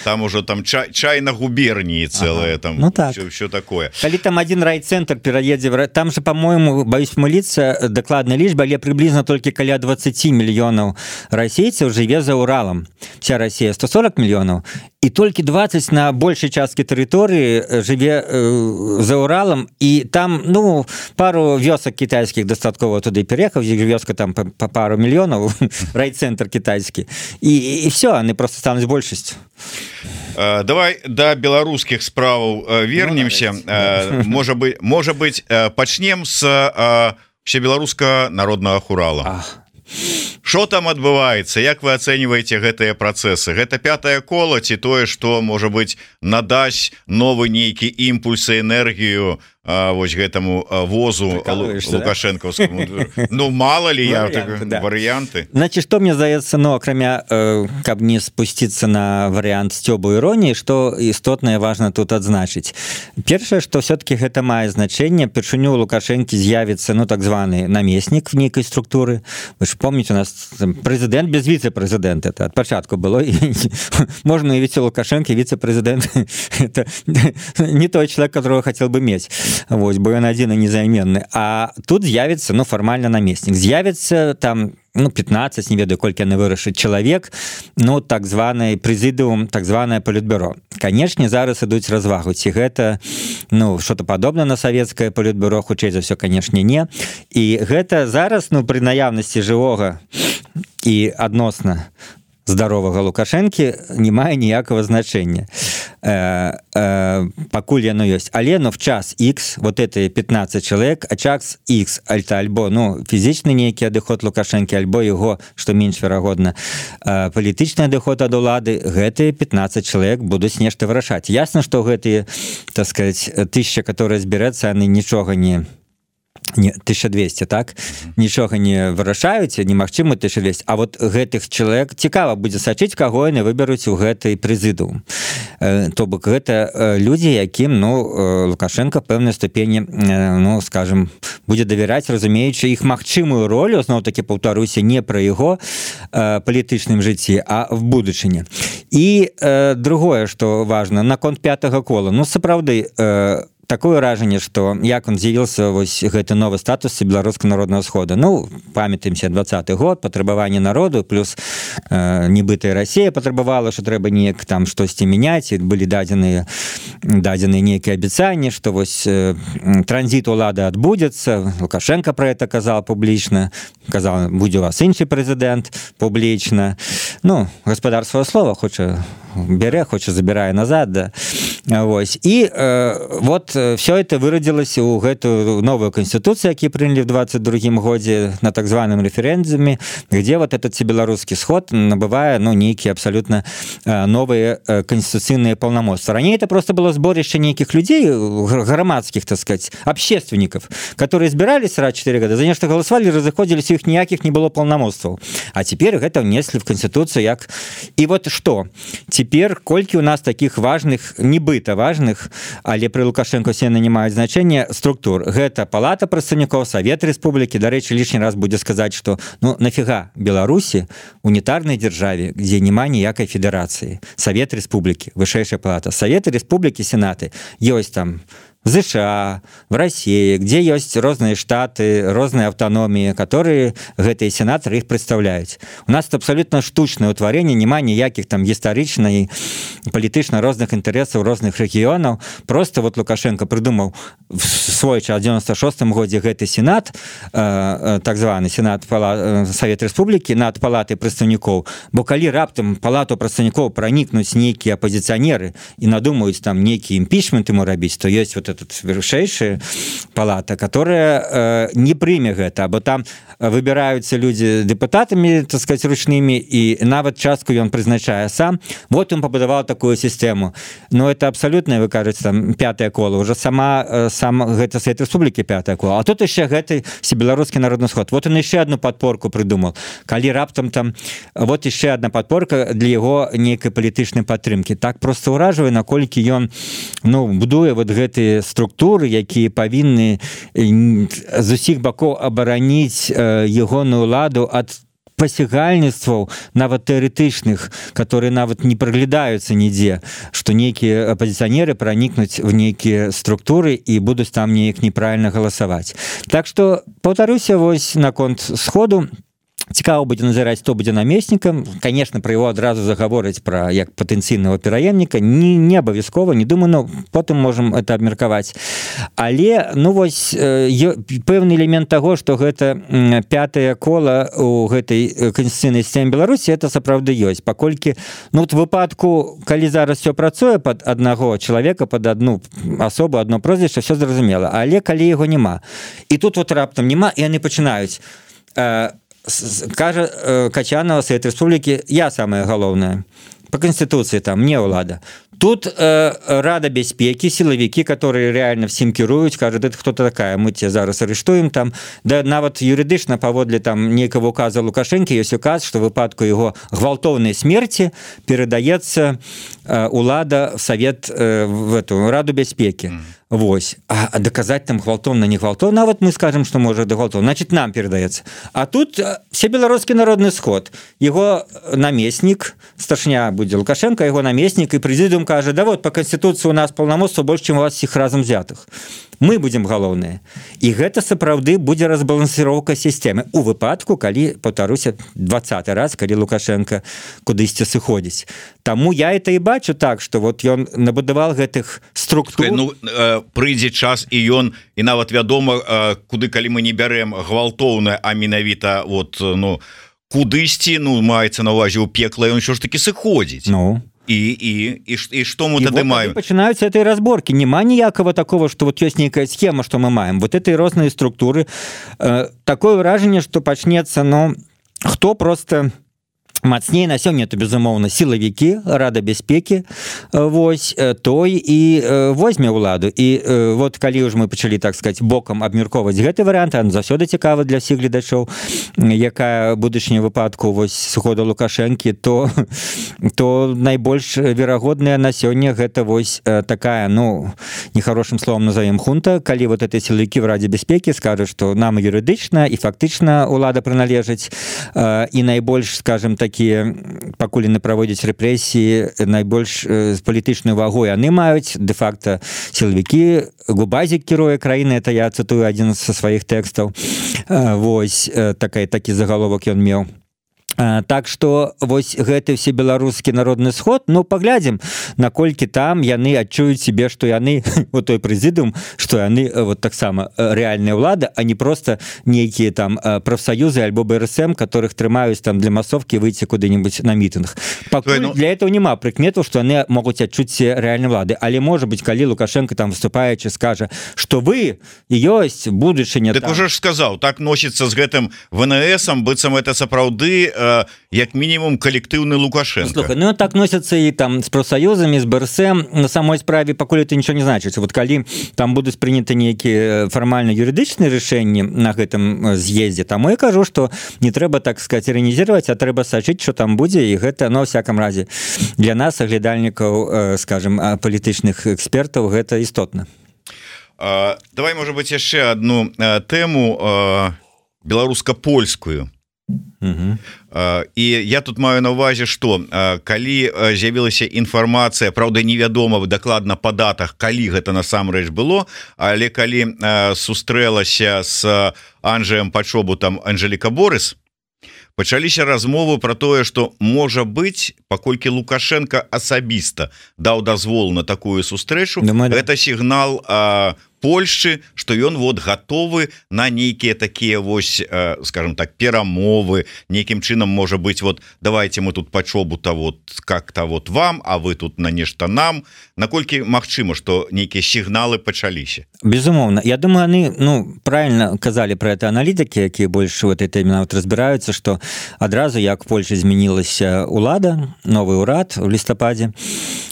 Там уже там чай, чайна губернии целое, ага. Там ну, так. все, все такое. Коли там один райцентр пераедзе, там же, по-моему, боюсь помылиться, докладная лічба, але приблизно только каля двадцать миллионов российцев живе за Уралом. Вся Россия сто сорок миллионов, и только двадцать на большей частке территории живе э, за Уралом, и там, ну, пару вёсок китайских достатково туда и переехал, здесь вёска там по, по пару миллионов, райцентр китайский, и, и все, они просто станут большестью. Давай до беларускіх справаў вернемся. Ну, можа быть, можа быть, пачнем с всебеларускага народнага хурала. Что там адбываецца? Як вы ацэньваеце гэтыя працэсы? Гэта пятае кола ці тое, што, можа быть, надасць новы нейкі імпульс і энергію а, вось гэтаму а, возу лукашэнкаўскаму? Да? Ну мало ли я варианты, да. Варианты. Значит, что мне здаецца, ну акрамя э, каб не спусціцца на вариант сцёбу іроніі, што істотнае важна тут адзначыць. Першае, што все-таки гэта мае значэнне, першыню Лукашэнкі з'явіцца, ну так званы намеснік в нейкай структуры. Вы ж помните, у нас президент без вице-президента, это от початку было. Можно уявить Лукашенко, вице-президент это не тот человек, которого хотел бы иметь. Вот, бо он один и незаменный. А тут з'явится, ну, формально наместник. З'явится там, ну, пятнадцать, не ведаю, колькі яны вырашыць чалавек, ну, так званы прэзідыум, так званае палітбюро. Канешне, зараз ідуць развагу. Ці гэта, ну, что-то падобна на савецкае палітбюро, хутчэй за ўсё, канешне, не. І гэта зараз, ну, пры наяўнасці жывога і адносна здаровага Лукашэнкі не мае ніякага значэння. Э, э, пакуль яно ёсць. Але, ну, в час X, вот это пятнадцать человек, а час X, альта, альбо, ну, фізічны нейкі адыход Лукашэнкі, альбо яго, што менш верагодна, э, палітычны адыход ад улады, гэтыя пятнадцать человек будуць нешта вырашаць. Ясна, што гэтыя, так сказать, тысяча, которые зберэцца, яны нічога не... Не, тысяча двести, так? Нічога не вырашаюць, немагчыма тысяча двести. А вот гэтых чалавек цікава будзе сачыць, каго яны выберуць у гэтай прэзідыум. Э, то бок гэта э, людзі, якім, ну, э, Лукашенко в пэўнай ступені, э, ну, скажем, будзе давяраць, разумеючы іх магчымую ролю, зноў-такі паўтаруся, не пра яго э, палітычным жыцці, а в будучыні. І э, другое, што важна, наконт пятага кола. Ну, сапраўды, э, такое ўражанне, што як он з'явіўся вось гэты новы статус беларускага народнага схода. Ну, памятаемся двадцаты год, патрабаванне народу, плюс э, нібытая Расія патрабавала, што трэба неяк там штосьці мяняць, і былі дадзеныя дадзеныя нейкія абяцанні, што вось э, транзіт улады адбудзецца. Лукашенко про это казаў публічна, казаў, будзе у вас іншы прэзідэнт публічна. Ну, гаспадар сваё слова хоча бере, хоча забірае назад, да. Вось. І э, вот все это вырадзілася ў гэтую новую конституцию, які прыняли в двадцать другім годзе на так званым референдуме, где вот этот всебеларускі сход набывае, ну, нейкія абсолютно э, новые э, конституцыйныя полномочия. Ранее это просто было сборище нейкіх людей, громадских, так сказать, общественников, которые избирались раз четыре года, за нешта голосовали, разыходзіліся, у іх ніякіх не было полномоцтваў. А теперь гэта внесли в конституцию як... И вот что? Теперь колькі у нас таких важных, нібыта важных, але при Лукашенко все нанимают значение структур. Гэта палата прадстаўнікоў, Совет Республики. До речи, лишний раз будет сказать, что ну нафига Беларуси, унитарной державе, где нема ніякай федерации. Совет Республики, высшая палата. Советы Республики, Сенаты. Есть там в США, в России, где есть разные штаты, разные автономии, которые гэтые сенаторы их представляют. У нас это абсолютно штучное утворение, нема ніяких там гістарычна и палітычна розных интересов розных регионов. Просто вот Лукашенко придумал в свой час, в девяносто шестом годзе гэты сенат, э, так званый сенат пала, Совет Республики над палатой прадстаўнікоў. Бо калі раптам палату прадстаўнікоў проникнуть некие оппозиционеры и надумают там некий импичмент ему рабіць, то есть вот этот вышэйшая палата, которая э, не прыме гэта, бо там выбираются люди депутатами, так сказать, ручными, и нават частку ён прызначае сам. Вот он побудовал такую систему. Но это абсолютно, вы кажете, там пятое коло, уже сама сам гэта Совет Республики пятое коло. А тут еще гэты всебеларускі народны сход. Вот он еще одну подпорку придумал. Калі раптам там вот еще одна подпорка для его некой палітычнай падтрымки. Так просто ўражвае, наколькі ён ну будуе вот гэтыя структуры, якія павінны з усіх бакоў абараніць ягоную ладу ад пасягальніцтваў нават тэарэтычных, которые нават не праглядаюцца нідзе, што нейкія апозіцыянеры пранікнуць в нейкія структуры і будуць там неяк неправільна галасаваць. Так што паўтаруся вось наконт сходу. Цікава будзе назіраць, хто будзе намеснікам. Конечно, про его адразу загаворыць про як патэнцыйнага пераемніка не, не абавязкова, не думаю, но потым можем это абмеркаваць. Але ну вось э, пэўны элемент таго, што гэта пятае кола у гэтай канстытуцыйнай сістэме Беларусі, это сапраўды ёсць, паколькі ну вот выпадку, калі зараз все працуе под аднаго чалавека, под одну асобу, одно прозвішча, все зразумела, але калі яго няма. І тут вот раптам няма, і яны пачынаюць э, кажа Качанова, Совет Республики, я самое галоўнае. По Конституции там не ўлада. Тут э, Рада бяспекі, силовики, которые реально всем кіруюць, кажут, это кто-то такая, мы тебя зараз арыштуем там. Да нават юридычна паводле там нейкага указа Лукашенко есть указ, что в выпадку его гвалтовной смерти передаецца э, улада в Совет, э, в эту Раду бяспекі. Mm. Вось. А, а доказать там гвалтовно, не гвалтовно, а вот мы скажем, что может гвалтовно, значит нам передается. А тут всебеларускі народный сход, его наместник, старшня будет Лукашенко, его наместник, и президиум кажет, да вот по Конституции у нас полномочия больше, чем у вас всех разом взятых. Мы будем галоўныя. І гэта сапраўды будзе разбалансіроўка сістэмы у выпадку, калі, паўтаруся, двадцаты раз, калі Лукашенко кудысьці сыходзіць. Таму я это і бачу так, што вот ён набудаваў гэтых структур. Ну, э, прыйдзе час і ён, і нават вядома, э, куды калі мы не бярэм гвалтоўна, а менавіта вот, ну, кудысьці, ну, маецца на ўвазе ў пекла, ён ўсё ж такі сыходзіць. Ну. И, и, и, и что мы тогда вот маем? Начинаются этой разборки. Нема ніякого такого, что вот есть некая схема, что мы маем. Вот этой розные структуры. Э, такое выражение, что почнется, но кто просто... Мацней на сёння это безумоўна сілавікі, Рада бяспекі, вось той і возьме ўладу. І вот калі ўж мы пачалі, так сказать, бокам абмяркоўваць гэты варыянт, он заўсёды цікавы для ўсіх гледачоў, якая будучыня выпадку вось сыхода Лукашэнкі, то то найбольш верагодная на сёння гэта вось такая, ну нехарошым словом назовем хунта, калі вот этой сілавікі в Раде бяспекі скажуць, што нам юрыдычна і фактычна ўлада прыналежыць, і найбольш, скажем так, такія пакуль не праводзяць рэпрэсіі найбольш палітычную вагу яны маюць дэ-факта сілавікі Губазік кіруе краіны, это я цытую адзін са сваіх тэкстаў. Вось такая такі загаловак ён меў. Так што вось гэты все беларускі народны сход, ну паглядзім, наколькі там яны адчуюць себе, што яны у той прэзідыум, што яны вот таксама рэальная ўлада, а не просто нейкія там прафсаюзы альбо бэ эр эс эм, которых трымаюць там для масовкі выйти куды-нибудь на мітынг. Пакуль ну... для этого няма прыкметаў, што яны могуць адчуць рэальнай улады, але можа быть, калі Лукашенко там выступаючы скажа, што вы ёсць будучыня. Так там... уже ж сказаў, так носіцца з гэтым вэ эн эсам, быццам это сапраўды як мінімум калектыўны Лукашенко. Слухай, ну так носяцца і там з прафсаюзамі, з бэ эр эс эм, на самой справе пакуль это нічого не значыць. Вот калі там будуць прыняты нейкія фармальна юрыдычныя рашэнні на гэтым з'ездзе, таму я кажу, што не трэба, так сказать, іранізировать, а трэба сачыць, што там будзе, і гэта, ну, всяком разе, для нас, аглядальнікаў, скажем, палітычных экспертаў, гэта істотна. А, давай, можа быць, яшчэ одну а, тэму а, беларуска-польскую. Угу. І я тут маю на увазе, што калі з'явілася інфармацыя, праўда невядома дакладна па датах, калі гэта насамрэч было, але калі сустрэлася з Анджэем Пачобутам Анжэліка Борыс, пачаліся размовы про тое, што можа быць, паколькі Лукашенко асабіста даў дазвол на такую сустрэчу, Думаю, гэта сігнал а, Польшчы, што ён вот гатовы на нейкія такія вось, скажем так, перамовы, нейкім чынам можа быць, вот давайте мы тут Пачобута вот как-то вот вам, а вы тут на нешта нам. Наколькі магчыма, што нейкія сігналы пачаліся? Безумоўна. Я думаю, они, ну, правильно казалі про это аналітыкі, якія больш в этой теме нават разбіраюцца, што адразу, як Польша змянілася улада, новы ўрад у лістападзе,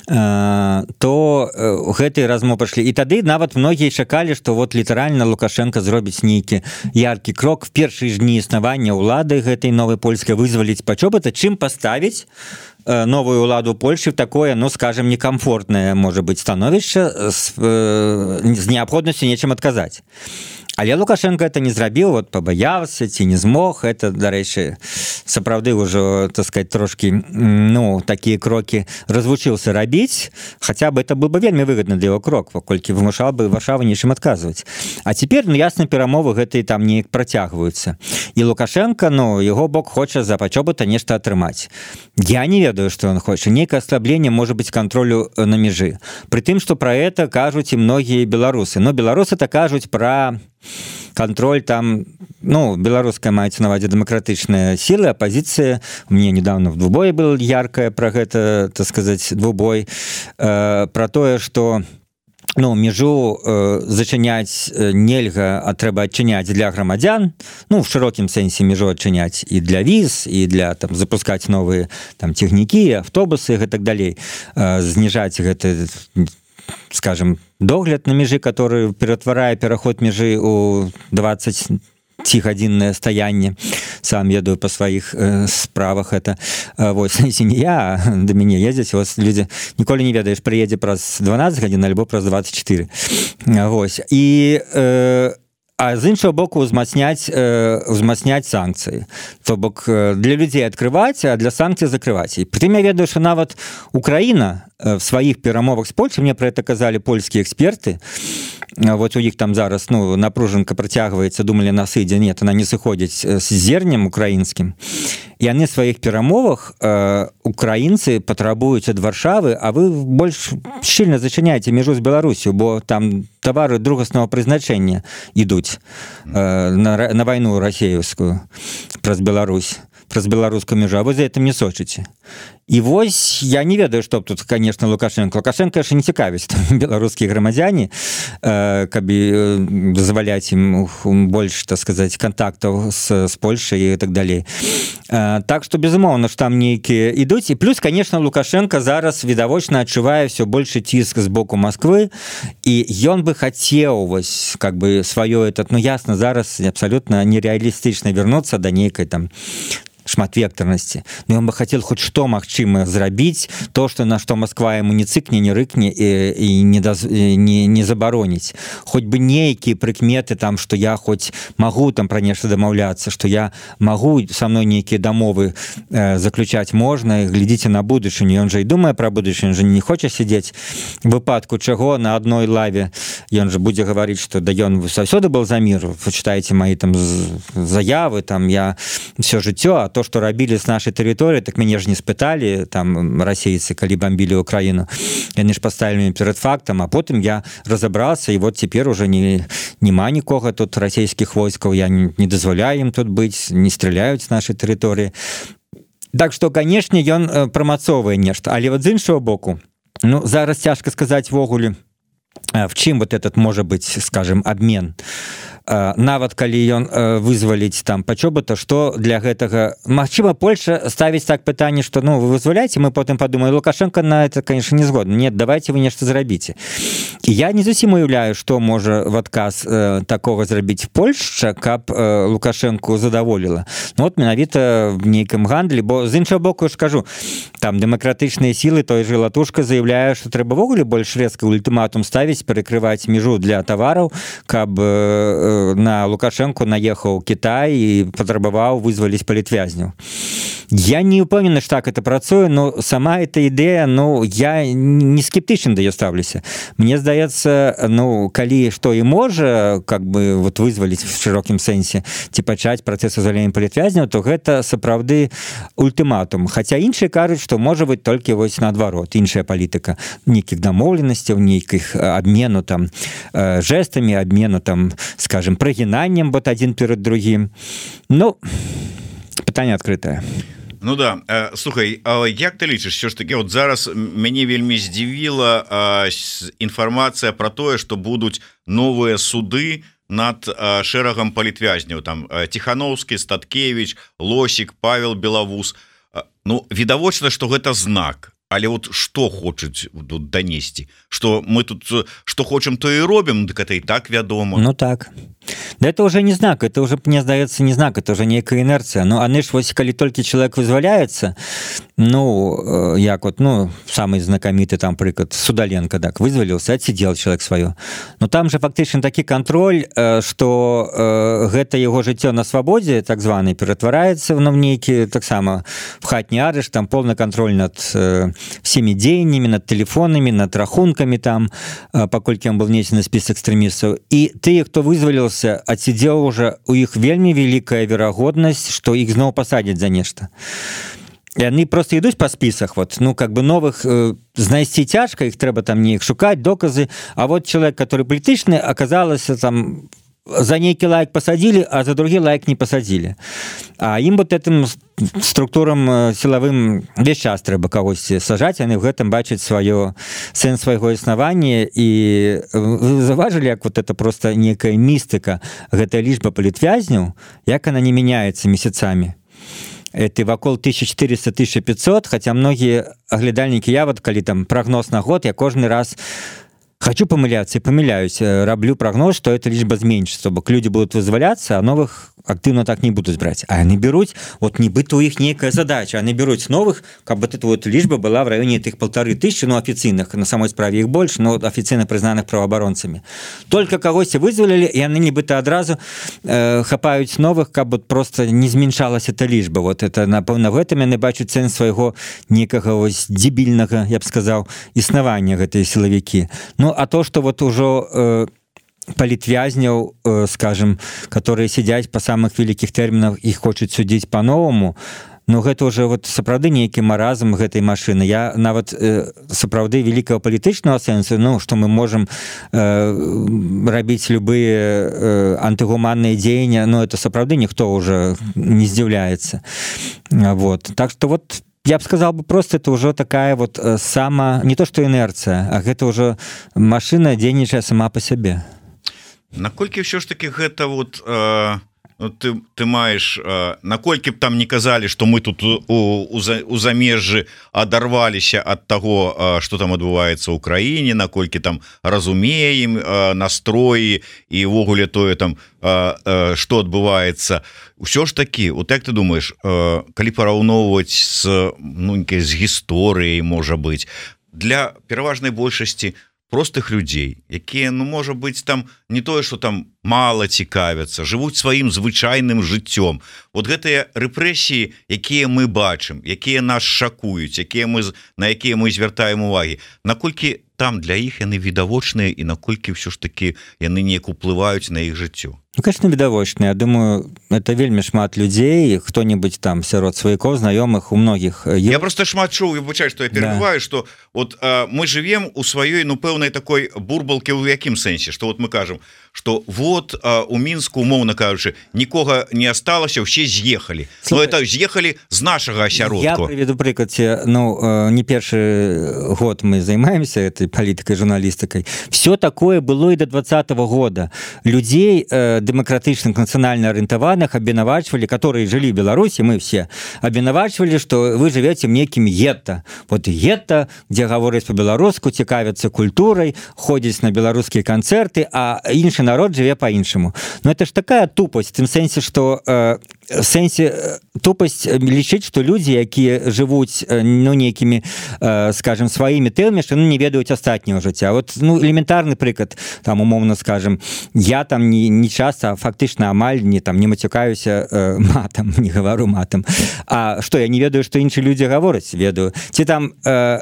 то гэтыя размовы пашлі. І тады нават многія чакалі, што вот літаральна Лукашенко зробіць нейкі яркі крок в першыя ж дні існавання ўлады гэтай новай польскай, вызваліць Пачобута, чым паставіць новую ўладу Польши в такое, ну, скажем, некомфортное, может быть, становішча з, з неабходнасцю нечым адказаць. Але Лукашенко это не зрабіў, вот пабаяўся ці не змог. Это, дарэчы, сапраўды ўжо, так сказать, трошки, ну, такія крокі развучыўся рабіць, хаця бы это был бы вельмі выгодны для яго крок, паколькі вымушаў бы Варшаву нечым адказваць. А цяпер, ну, ясна, перамовы гэтыя там неяк працягваюцца. І Лукашенко, ну, яго бок хоча за Пачобута нешта атрымаць. Я не ведаю, што ён хоча. Нейкае аслабленне, можа быць, кантролю на межы. Пры тым, што пра это кажуць і многія беларусы. Но беларусы-то кажуць пра контроль там, ну, беларуская маецца на ўвазе дэмакратычныя сілы, апозіцыя. Мне недавно в двубое был яркая про гэта, так сказать, двубой, э, про тое, што ну, межу э, зачыняць нельга, а трэба адчыняць для грамадзян, ну, в шырокім сэнсе межу адчыняць і для віз, і для там запускаць новыя там цягнікі, автобусы і гэтак далей, э, зніжаць гэты, скажем, догляд на межы, который ператварае пераход межы у дваццацігадзіннае стаянне. Сам ведаю па сваіх э, справах это. Э, вось, не я, а да мяне ездзяць, вось людзі ніколі не ведаеш, прыедзе праз дванаццаць гадзін альбо праз дваццаць чатыры. Вось. І э, а з іншого боку узмацняць, э, узмацняць санкцыі. То бок для людзей адкрываць, а для санкцый закрываць. І прытым я ведаю, што нават Украіна в сваіх перамовах з Польшай, мне про это казалі польскія эксперты, вот у іх там зараз, ну, напружанка працягваецца, думалі, на сыдзе, нет, она не сыходзіць з зернем украінскім. І яны в сваіх перамовах э, украінцы патрабуюць ад Варшавы, а вы больш шчыльна зачыняеце межу з Беларусю, бо там тавары другаснага прызначэння ідуць э, на, на вайну расеевскую праз Беларусь, праз беларускую межу, а вы за этим не сочыце. І вось я не ведаю, што тут, конечно, Лукашенко. Лукашенко яшчэ не цікавіць беларускія грамадзяне, э, каб дазваляць ім больш, так сказать, контактаў з, з Польшай і так далей. Э, так што, безумоўна, што там нейкія ідуць. І плюс, конечно, Лукашенко зараз відавочна адчувае ўсё большы ціск з боку Москвы, і ён бы хацеў вось, как бы, сваё этот, ну, ясна, зараз абсолютно нереалістычна вярнуцца да нейкай там шматвектарнасці, но ён бы хотел хоть што магчыма зрабіць то, что на што Москва ему не цыкне, не рыкне і, і не, даз, не, не забароніць, хоць бы нейкія прыкметы там, что я хоть могу там пра нешта дамаўляцца, что я могу со мной нейкія дамовы э, заключаць можна, глядзіце на будучыню, ён же і думае пра будучыню, же не хоча сидзець, выпадку чаго на одной лаве ён же будзе гаварыць, что да ён заўсёды был за мир, вы читаете мои там заявы, там я все жыццё, а то, что рабілі с нашей тэрыторыі, так мяне ж не спыталі там расейцы, калі бомбілі Украіну, яны ж поставілі перед фактом, а потым я разобрался, и вот теперь уже не нема нікога тут расійскіх войскаў, я не, не дазволяю им тут быць, не стреляюць с нашей тэрыторыі. Так что, канешне, ён прамацоўвае нешта, але вот з іншого боку, ну зараз цяжка сказаць ввогуле, в чым вот этот можа быць, скажем, обмен. Нават калі ён вызваліць там пачобыта, што для гэтага магчыма Польша ставіць так пытанне, што ну вы вызваляеце, мы потым падумаем, Лукашенко на это, конечно, не згодны. Нет, давайте вы нешта зрабіце. І я не зусім уяўляю, што можа в адказ э, такога зрабіць Польшча, каб э, Лукашенко задаволіла. Ну вот менавіта в нейкім гандлі, бо з іншага боку я ж кажу, там дэмакратычныя сілы, той же Латушка заявляе, што трэба ввогуле больш рэзка ультыматум ставіць, перакрываць мяжу для тавараў, каб э, на Лукашенко наехаў Кітай і патрабаваў вызваліць палітвязняў. Я не упэўнены, што так это працуе, но сама эта ідэя, ну, я не скептычна да яе ставлюся. Мне здаецца, ну, калі што і можа, как бы, вот вызваліць в шырокім сэнсе, ці пачаць працэс узвалення палітвязняў, то гэта сапраўды ультыматум. Хаця іншыя кажуць, што можа быць толькі вось наадварот, іншая палітыка, нейкіх дамоўленасцяў, нейкіх абмену там жэстамі, абмену там, скажем, прагінаннем вот один перед другим. Ну, пытанне адкрытае. Ну да, э, слухай, а як ты лічыш, що ж таки вот зараз мяне вельмі здзівіла э, інфармацыя про тое, што будуць новыя суды над э, шэрагам палітвязняў, там э, Тихановскі, Статкевич, Лосік, Павел Белавус. Э, ну, відавочна, што гэта знак. Але вот што хочуць тут данесці, што мы тут што хочам, то і робім, дык это і так вядома. Ну так. Да это уже не знак, это уже, мне здаецца, не знак, это уже некая инерция. Ну, а ж вось, калі толькі человек вызваляецца, ну, як вот, ну, самый знакаміты там прыклад, Судаленко, так, вызваліўся, отсидел человек свое. Но там же фактычна такі контроль, что э, гэта его жыццё на свабодзе, так званый, ператвараецца в нейкі, таксама, в хатні арышт, там полный контроль над э, всеми дзеяннямі, над телефонами, над рахунками там, э, паколькі он был внесен на список экстремистов. И тыя, кто вызваліўся, отсидел уже, у іх вельмі великая верагоднасць, что іх зноў пасадзяць за нешта. И они просто ідуць по списах, вот, ну, как бы новых э, знайсці цяжка, их трэба там неяк шукаць, доказы, а вот человек, который палітычны, оказалось там, за нейкі лайк посадили, а за другі лайк не посадили. А им вот этим структурам силовым весь час трэба кагосьці сажаць, яны в гэтым бачаць сваё сэнс свайго існавання, і вы заўважылі, як вот это просто некая містыка, гэтая лічба палітвязняў, як она не меняется месяцамі. Это вакол тысяча четыреста — тысяча пятьсот, хотя многие оглядальники, я вот, калі там прогноз на год, я кожны раз хочу помыляться и помыляюсь, раблю прогноз, что эта лічба зменшится, бо люди будут вызваляться, а новых активно так не будут брать. А они берут, вот нібыта у их некая задача, они берут новых, как бы эта вот лічба была в районе этих полторы тысячи, ну, официальных, на самой справе их больше, но официально признанных правооборонцами. Только когось вызвалили, и они нібыта одразу э, хапают новых, как бы просто не зменшалась эта лічба. Вот это, напевно, в этом я бачу сенс своего некого ось дебильного, я бы сказал, існавання гэтай силовики. Ну, а то, что вот уже э, палітвязняў, э, скажем, которые сидят по самых великих терминах, их хочуць судить по-новому, ну, гэта уже вот сапраўды нейкі маразм гэтай машины. Я нават э, сапраўды великого палітычнага сэнсу, ну, что мы можем э, рабіць любые э, антыгуманныя дзеянні, но это сапраўды никто уже не здзіўляецца. Вот. Так что вот я бы сказал бы просто, это уже такая вот э, сама, не то что инерция, а это уже машина дзейнічае сама по себе. Наколькі ўсё ж таки гэта вот э, Ну, ты, ты маеш наколькі б там не казалі, што мы тут у, у, у замежжы адарваліся ад таго, што там адбываецца ў краіне, наколькі там разумеем настроі і ўвогуле тое там, што адбываецца. Усё ж такі, вот як ты думаеш, калі параўноўваць з, ну, з гісторыяй, можа быць, для пераважнай большасці простых людзей, якія, ну, можа быць, там не тое, што там мала цікавяцца, жывуць сваім звычайным жыццём. Вот гэтыя рэпрэсіі, якія мы бачым, якія нас шакуюць, якія мы, на якія мы звяртаем увагі, наколькі там для іх яны відавочныя і наколькі ўсё ж такі яны неяк уплываюць на іх жыццё? Ну, конечно, відавочныя. Я думаю, это вельмі шмат людзей, хто-небудзь там сярод сваякоў, знаёмых, у многіх. Я просто шмат чуў, я выбачаю, што я перебываю, да. Што вот а, мы живем у сваёй, ну, пэўнай такой бурбалкі, у якім сэнсе, што вот мы кажам, што вот а, у Мінску, умоўна кажучы, нікога не асталася, ўсе з'ехалі. Но это з'ехалі з нашага асяродку. Я приведу прыклад. Ну, не першы год мы займаемся этой палітыкай, журналістыкай. Все такое было і до двадцатого года. Людзей демократычных, нацыянальна арыентаваных абвінавачвалі, которые жылі в Беларусі, мы все абвінавачвалі, што вы живете в некім гетто. Вот гетто, дзе гавораць по-беларуску, цікавяцца культурай, ходзяць на беларускія канцэрты, а іншы народ жыве по-іншаму. Но это ж такая тупость, в тым сэнсе, што э, в сэнсе тупость лічыць, што людзі, якія жывуць, ну, нейкімі, э, скажем, сваімі тэмамі, што, ну, не ведаюць астатняго жыцця. Вот, ну, элементарны прыклад, там, умоўна скажем, я там не, не часто, фактычна амаль не, там, не мацюкаюся э, матам, не гавару матам. А што, я не ведаю, што іншыя людзі гавораць, ведаю. Ці там... Э,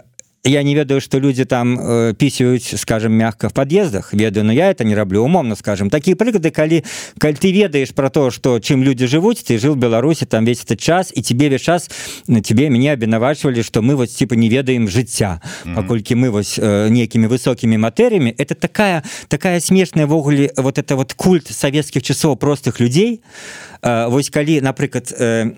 Я не ведаю, что люди там э, писают, скажем, мягко в подъездах, ведаю, но я это не роблю, умовно, скажем. Такие прыгады, коли, коли ты ведаешь про то, что чем люди живут, ты жил в Беларуси там весь этот час, и тебе весь час, тебе, меня обвинувачивали, что мы вот типа не ведаем жыцця, mm-hmm. покольки мы вот э, некими высокими материями. Это такая, такая смешная в огуле, вот это вот культ советских часов простых людей. Э, вот коли, например, э,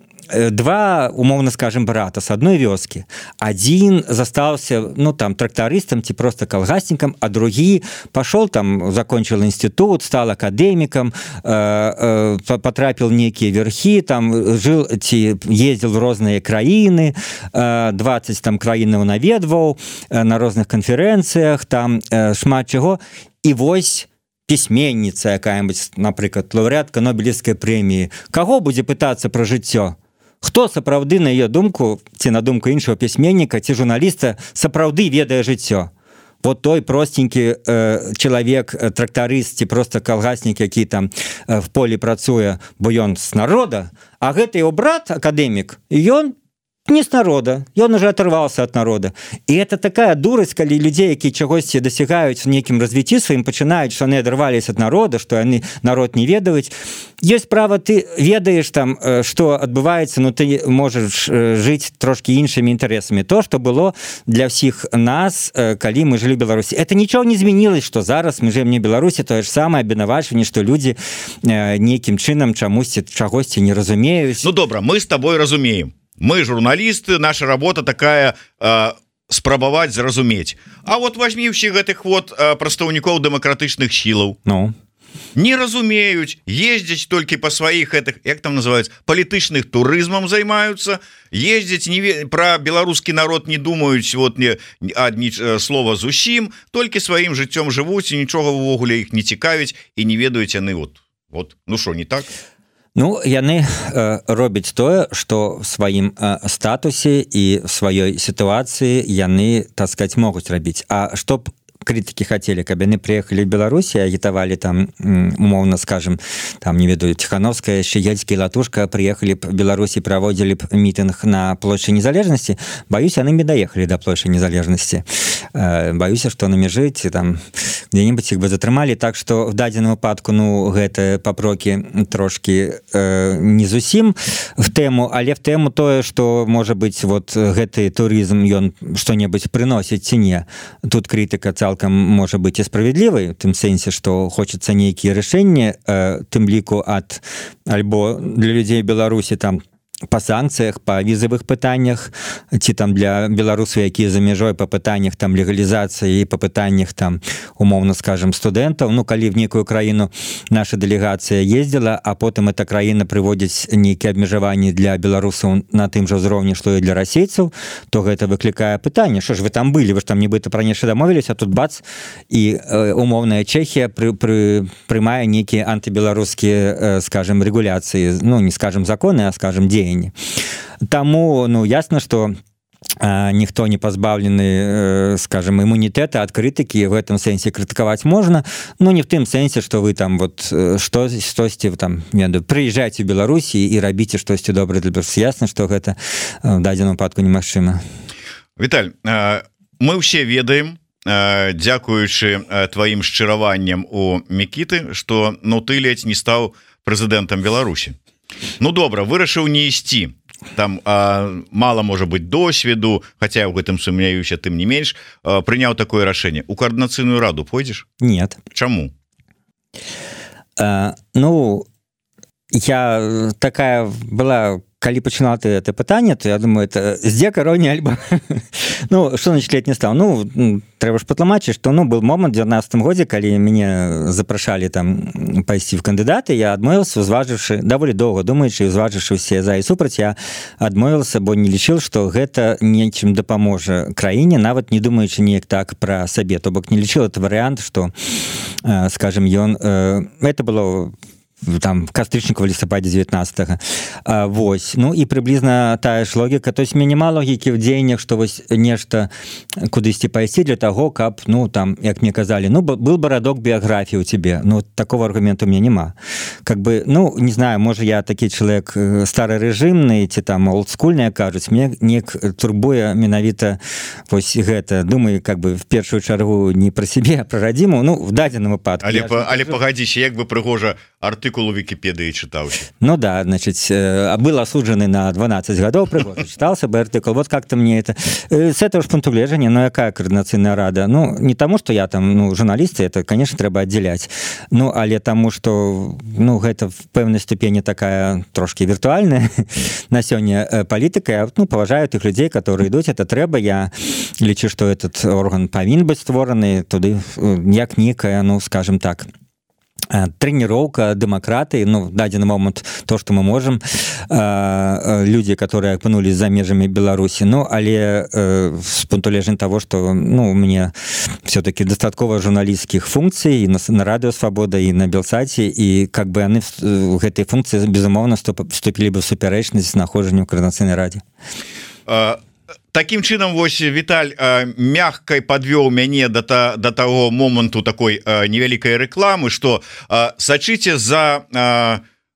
два, умовно скажем, брата с одной вёскі. Один застался, ну, там, трактористом, ці просто колгасником, а другие пошел там, закончил институт, стал академиком, э, э, потрапил в некие верхи, там, жил, ці, ездил в разные краины, э, двадцать там краинаў наведваў, э, на разных конференциях, там, э, шмат чего. И вось письменница якая-нибудь, например, лауреатка Нобелевской премии, кого будзе пытаться про жыццё? Хто сапраўды, на ее думку, ці на думку іншого пісьменніка, ці журналіста, сапраўды ведае жыццё? Вот той простенькі э, чалавек, э, трактарыст, ці просто калгаснік, які там э, в полі працуе, бо ён з народа, а гэты его брат, акадэмік, ён не с народа, ён уже оторвался от народа. И это такая дурость, калі людей, якія чагосьці дасягаюць в некім развіцці сваім, пачынаюць, што яны адарвались от народа, што яны народ не ведаюць. Есть право, ты ведаешь там, что адбываецца, но ты можешь жить трошки іншымі інтарэсамі. То, что было для всех нас, калі мы жили в Беларуси. Это ничего не изменилось, что зараз мы живем не в Беларуси, то же самое обвинавачванне, что люди неким чынам чамусьці чагосьці не разумеюць. Ну добра, мы с тобой разумеем. Мы журналисты, наша работа такая э, спрабаваць зразумець. А вот возьми ўсіх гэтых вот э, прадстаўнікоў дэмакратычных сілаў. Ну. Не разумеюць, ездзяць толькі па сваіх гэтых, як там называюць, палітычных турызмам займаюцца, ездзяць не пра беларускі народ не думаюць, вот не адні слова зусім, толькі сваім жыццём жывуць і нічога ўвогуле іх не цікавіць і не ведаюць яны вот. Вот, ну што, не так? Ну, яны э, робяць тое, што в сваім э, статусе і в сваёй сітуацыі яны, так сказать, могуць рабіць. А што б критики хотели, каб яны приехали в Беларусь и агитовали там, умовно скажем, там, не ведаю, Тихановская, Щегельский, Латушка приехали в Беларусь и проводили митинг на площади Незалежности, боюсь, яны не доехали до площади Незалежности. Боюсь, что на межы там где-нибудь их бы затрымали, так что в дадзеным выпадку, ну, гэта папроки трошки э, не зусім в тему, але в тему тое, что, может быть, вот гэты туризм, ён что-нибудь приносит ці не. Тут критика цалкам может быть и справедливой, в тым сэнсе, что хочется нейкие решения, э, тым ліку от альбо для людей Беларуси там па санкцыях, па візавых пытаннях, ці там для беларусаў, якія за мяжой па пытаннях там легалізацыі і па пытаннях там умоўна скажем студэнтаў. Ну калі в нейкую краіну наша дэлегацыя ездзіла, а потым эта краіна прыводзіць нейкія абмежаванні для беларусаў на тым жа ўзроўні, што і для расейцаў, то гэта выклікае пытанне, што ж вы там былі, вы ж там нібыта пра нешта дамовіліся, а тут бац і э, умоўная Чэхія пры, пры, прымае нейкія антыбеларускія э, скажем рэгуляцыі, ну не скажем законы, а скажем дзеянні. Таму ну ясна, што а, ніхто не пазбаўлены, скажем, імунітэта ад крытыкі, в этом сэнсе крытыкаваць можна, ну не в тым сэнсе, што вы там вот што штосьці там прыязджайце ў Беларусі і рабіце штосьці добрае для Беларусі. Ясна, што гэта в дадзеным выпадку немагчыма. Віталь, мы ўсе ведаем, дзякуючы тваім шчыраванням у Мікіты, што ну ты ледзь не стаў прэзідэнтам Беларусі. Ну добра, вырашыў не ісці. Там а, мало можа быть досведу, хотя я ў гэтым сумняюся, тым не менш, а, прыняў такое рашэнне. У координацыйную раду пойдзеш? Нет. Чаму? А, ну я такая была, калі пачынала ты это пытанне, то я думаю, это здзека роўня альбо ну что значит лет не стал. Ну трэба ж патлумачыць, што ну был момант в девятнадцатым годзе, калі мяне запрашалі там пайсці в кандыдаты, я адмовіўся, узважыўшы даволі доўга думаючы і узважыўшы ўсе за і супраць, я адмовіўся, бо не лічыў, што гэта нечым дапаможа краіне, нават не думаючы неяк так пра сабе, то бок не лічыў это варыянт, што э, скажем ён э, это было там в кастрычніку в лістападзе девятнадцатага. А, вось. Ну і прыблізна тая ж логіка, то есть мне няма логікі в дзеяннях, што вось нешта кудысьці пайсці для таго, каб ну там, як мне казалі, ну был бы радок біяграфіі ў цябе. Ну такого аргументу у меня няма. Как бы, ну не знаю, можа я такі чалавек старарэжымны ці там олдскульны, кажуць, мне неяк турбуе менавіта вось гэта. Думаю, как бы в першую чаргу не пра сябе, а пра радзіму, ну в дадзеным выпадку. Але, па, але пагадзіся, як бы прыгожа артыкул у Вікіпедыі чытаўся. Ну да, значит, был осудженный на двенадцать годов, пригодно читался бы артикул. Вот как-то мне это... С этого же пункту гледжання, ну якая координаційная рада? Ну, не тому, что я там, ну, журналисты, это, конечно, треба отделять. Ну, але тому, что, ну, это в певной ступени такая трошки виртуальная на сёння политика. Я, ну, поважаю тых людей, которые идут, это треба. Я лічу, что этот орган павінен быць створаны, туды, як некая, ну, скажем так, тренировка демократии, ну, в дадзены момент то, что мы можем, э, люди, которые окунулись за межами Беларуси, ну, але э, с пункту гледжання того, что, ну, у меня все-таки достатково журналистских функций и на, на Радио Свобода, и на Белсате, и как бы они в, в этой функции, безумовно, вступили бы в суперечность с находжаннем в Координаційнай радзе. Uh... Таким чынам вось Віталь мягкай подвёў мяне да, та, да таго моманту такой невялікай рэкламы, што сачыце за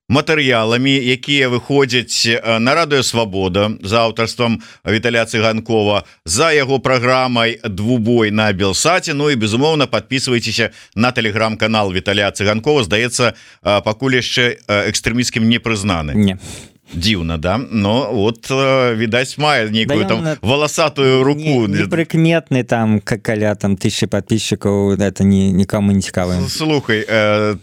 матэрыяламі, якія выходзяць на Радыё Свабода за аўтарствам Віталя Цыганкова, за яго праграмай двубой на Белсаце. Ну і безумоўна подписывайтеся на тэлеграм-канал Віталя Цыганкова. Здаецца, пакуль яшчэ экстрэмісцкім не прызнаны. Не. Дивно, да? Но вот, видать, мае некую да там на... волосатую руку. Неприкметный там, как каля там тысячи подписчиков, это ни, никому не цікаво. Слухай, э,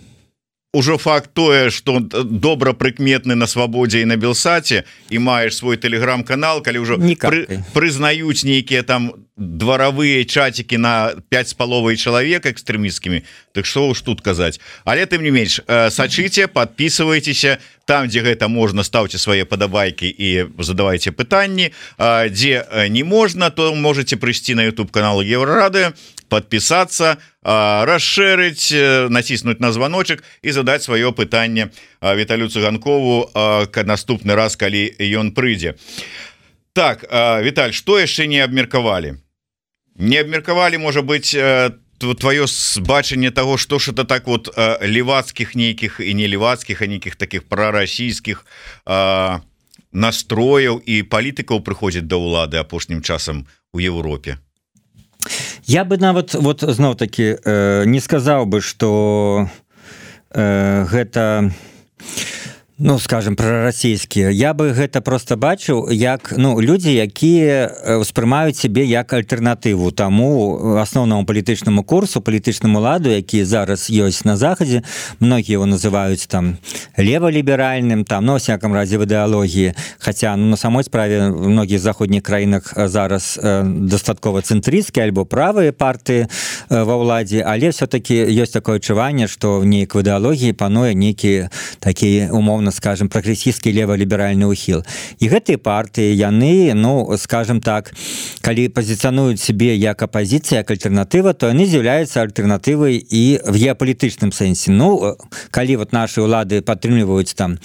уже факт тое, что добра прыкметны на Свабодзе і на Белсаце, і маеш свой тэлеграм-канал, калі ўжо пры, прызнаюць нейкія там дваравыя чатики на пять с половой человек экстремистскими, так что уж тут казаць. Але тым не менш, сачыце, подписывайтеся там, где гэта можна, ставьте свои падабайки и задавайте пытанні, где не можно, то можете прийти на YouTube канал Еврорады, подписаться, расширить, натиснуть на звоночек и задать свое пытанне Віталю Цыганкову к наступны раз, калі ён прыйдзе. Так, Віталь, что яшчэ не абмеркавалі? Не абмеркавалі, можа быть, твоё бачанне того, что ж это так вот левацких нейкіх и не левацких, а нейкіх таких прорасійскіх настрояў і палітыкаў прыходзіць да ўлады апошнім часам у Европе? Я бы нават вот зноў таки э, не сказаў бы, что э, гэта Ну скажем прарасійскія, я бы гэта просто бачыў як ну людзі, якія ўспрымаюць сябе як альтэрнатыву таму асноўнаму палітычнаму курсу, палітычнаму ладу, які зараз ёсць на захадзе. Многія его называюць там леваліберальным, там ну, всяком разе в ідэалогіі, хаця ну, на самой справе в многіх заходніх краінах зараз э, дастаткова цэнтрысцкія альбо правыя партыі э, ва ўладзе, але все-таки ёсць такое адчуванне, што неяк в ідэалогіі пануе нейкі такі умоўна скажем прагрэсійскі леваліберальны ўхіл. І гэтыя партыі яны ну скажем так, калі пазіцыянуюць сябе як апазіцыя, як альтэрнатыва, то яны з'яўляюцца альтэрнатывай і в геапалітычным сэнсе. Ну калі вот наши улады падтрымліваюць там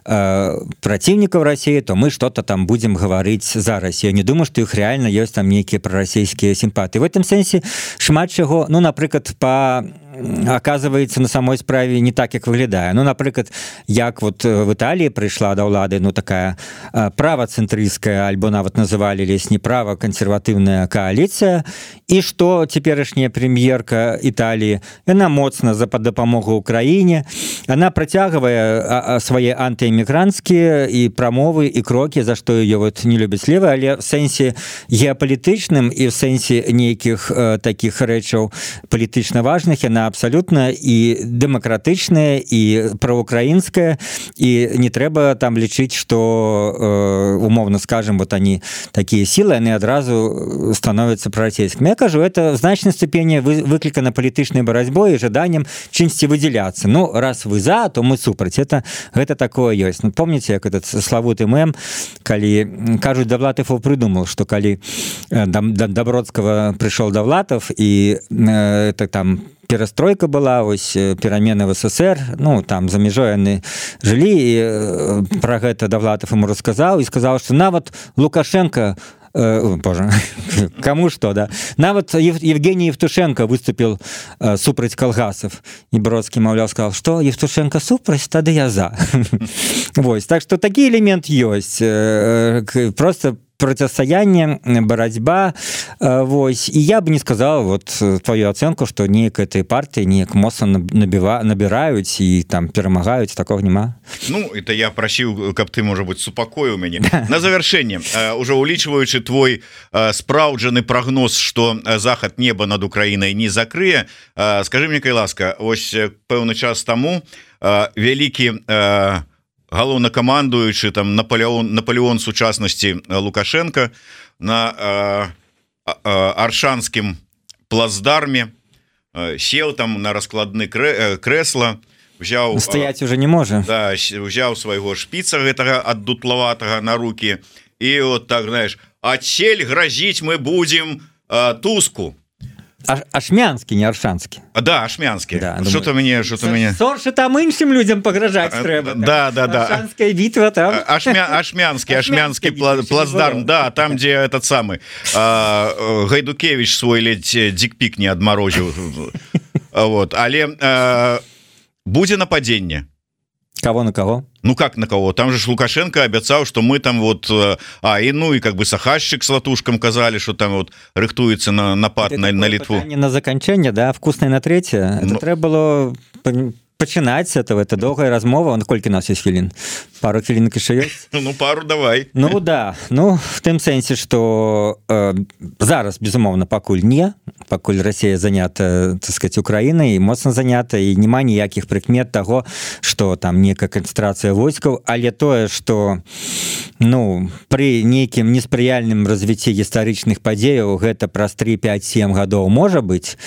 э, праціўнікаў России, то мы что-то там будем гаварыць за Россию. Не думаю, что іх реально ёсць там нейкія прарасійскія сімпатыі. В этом сэнсе шмат чаго, ну напрыклад по оказывается на самой справе не так, як выглядае. Ну напрыклад, як вот в Італіі прыйшла да ўлады ну такая правацэнтрысцкая альбо нават называлі лесні права кансерватыўная кааліцыя, і што цяперашняя прэм'ерка Італіі, яна моцна за дапамогу Украіне, она працягвае свае антыэмігранцкія і прамовы і крокі, за што ее вот не любяць левы, але в сэнсе геапалітычным і в сэнсе нейкіх э, такіх рэчаў палітычна важных яна абсолютно і дэмакратычная і праўкраінская, і не трэба там лічыць, што э, умовно скажем вот они такія сілы, яны адразу становятся прарасійскімі. Я кажу, это в значнай ступені выклікана палітычнай барацьбой і жаданнем чымсьці выдзяляцца. Ну раз вы за, то мы супраць. Это гэта такое ёсць. Ну помните, як этот славуты мем, калі кажуць, Давлатов придумал, что калі э, Добродского пришел Давлатов і э, это там перастройка была, ось перамены в СССР, ну там за мяжой яны жылі, і пра гэта Давлатов ему расказаў і сказаў, што нават Лукашенко э, боже, кому что, да, нават Ев, Евгений Евтушенко выступил э, супраць калгасов, і Бродскі маўляў сказал, что Евтушенко супраць, тады я за. Вось, так что такі элемент ёсць, э, просто противостояние, борьба, вось. И я бы не сказал вот твою оценку, что неяк этой партии неяк моцна набіва, набирают и там перемагают, такого нема. Ну, это я просил, каб ты, может быть, супокоил меня. На завершение, уже улічваючи твой спраўджаны прогноз, что заход неба над Украиной не закрые, скажи мне, кай ласка, ось пэўны час тому великий галоўнакамандуючы там Наполеон Наполеон сучаснасці Лукашенко на э, э, аршанскім плацдарме э, сел там на раскладны крэ, э, крэсла, взял стоять уже не можа, да, взял свайго шпіца гэтага аддутлаватага на руки, і вот так знаешь, адсель грозить мы будем э, Туску. Ашмянскі, не аршанскі. А, да, ашмянскі. Да, что-то мне, что-то мне. Сорше там іншым людям пагражаць трэба. Да, да, да. Аршанская битва там. Ашмя, ашмянскі, ашмянскі плацдарм, да, там, где этот самый а, Гайдукевич свой ледь дикпик не адмарозіў. Вот, але а, будзе нападенне. Кого на кого? Ну как на кого? Там же Лукашенко обещал, что мы там вот, а и ну и как бы Сахашчик с Латушком казали, что там вот рыхтуется на напад на, на Литву. На заканчэнне, да, вкусное на третье. Это ну... треба было пачинать с этого, это долгая размова. Он сколько у нас есть хвилин? Пару хвилинок еще есть? Ну пару давай. Ну да, ну в тем сенсе, что э, зараз безумоўна пакуль не, пакуль Россия занята, так сказать, Украиной, и моцна занята, и нема ніякіх прыкмет того, что там некая концентрация войскаў, але тое, что ну при нейкім неспрыяльным развіцці гістарычных падзеяў гэта праз три пять семь гадоў можа быць,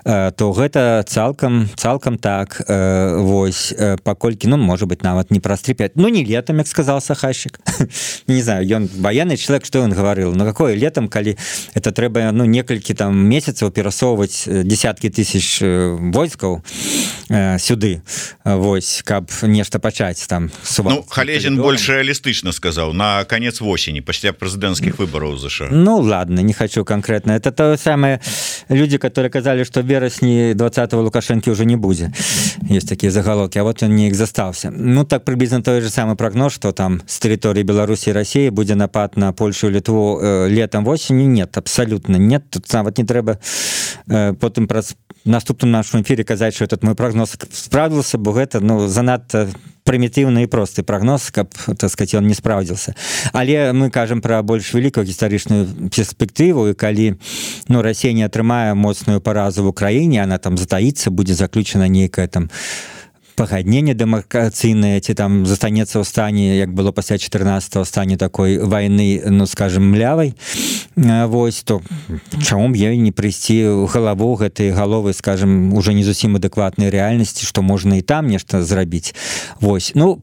э, то гэта цалкам цалкам так, э, вось, э, паколькі, ну можа быть нават не праз три пять, ну не летом, як сказал Сахашчик. Не знаю, ён военный человек, что он говорил, ну какое летом, калі это трэба ну некалькі там месяцаў перасоўваць десяткі тысяч войскаў э, сюды, вось, каб нешта пачаць там. Ну Халезін больш реалістычна сказал, на конец осени, пасля прэзідэнцкіх выбораў США. Ну ладно, не хочу конкретно. Это то самое люди, которые казали, что в верасні двадцатого Лукашенко уже не будзе. Есть такие заголовки, а вот он не их застался. Ну так приблизно той же самый прогноз, что там с территории Беларуси и России будет напад на Польшу и Литву э, летом, осенью. Нет, абсолютно нет. Тут вот не треба э, потом наступным нашым эфире казаць, что этот мой прогноз справдзіўся, бо гэта ну занадта прымітыўны і просты прогноз, каб так сказать он не спраўдзіўся. Але мы кажам пра больш вялікую гістарычную перспектыву, і калі ну Расія не атрымае моцную паразу в Украіне, она там затаіцца, будзе заключена нейкая там пагадненне дэмаркацыйнае, ці там застанецца ў стане, як было пасля чатырнаццатого, стане такой вайны, ну скажем, млявай, вось, то чаму б ёй не прыйсці ў галаву гэтай галовы, скажем, уже не зусім адэкватнай рэальнасці, што можна і там нешта зрабіць. Вось, ну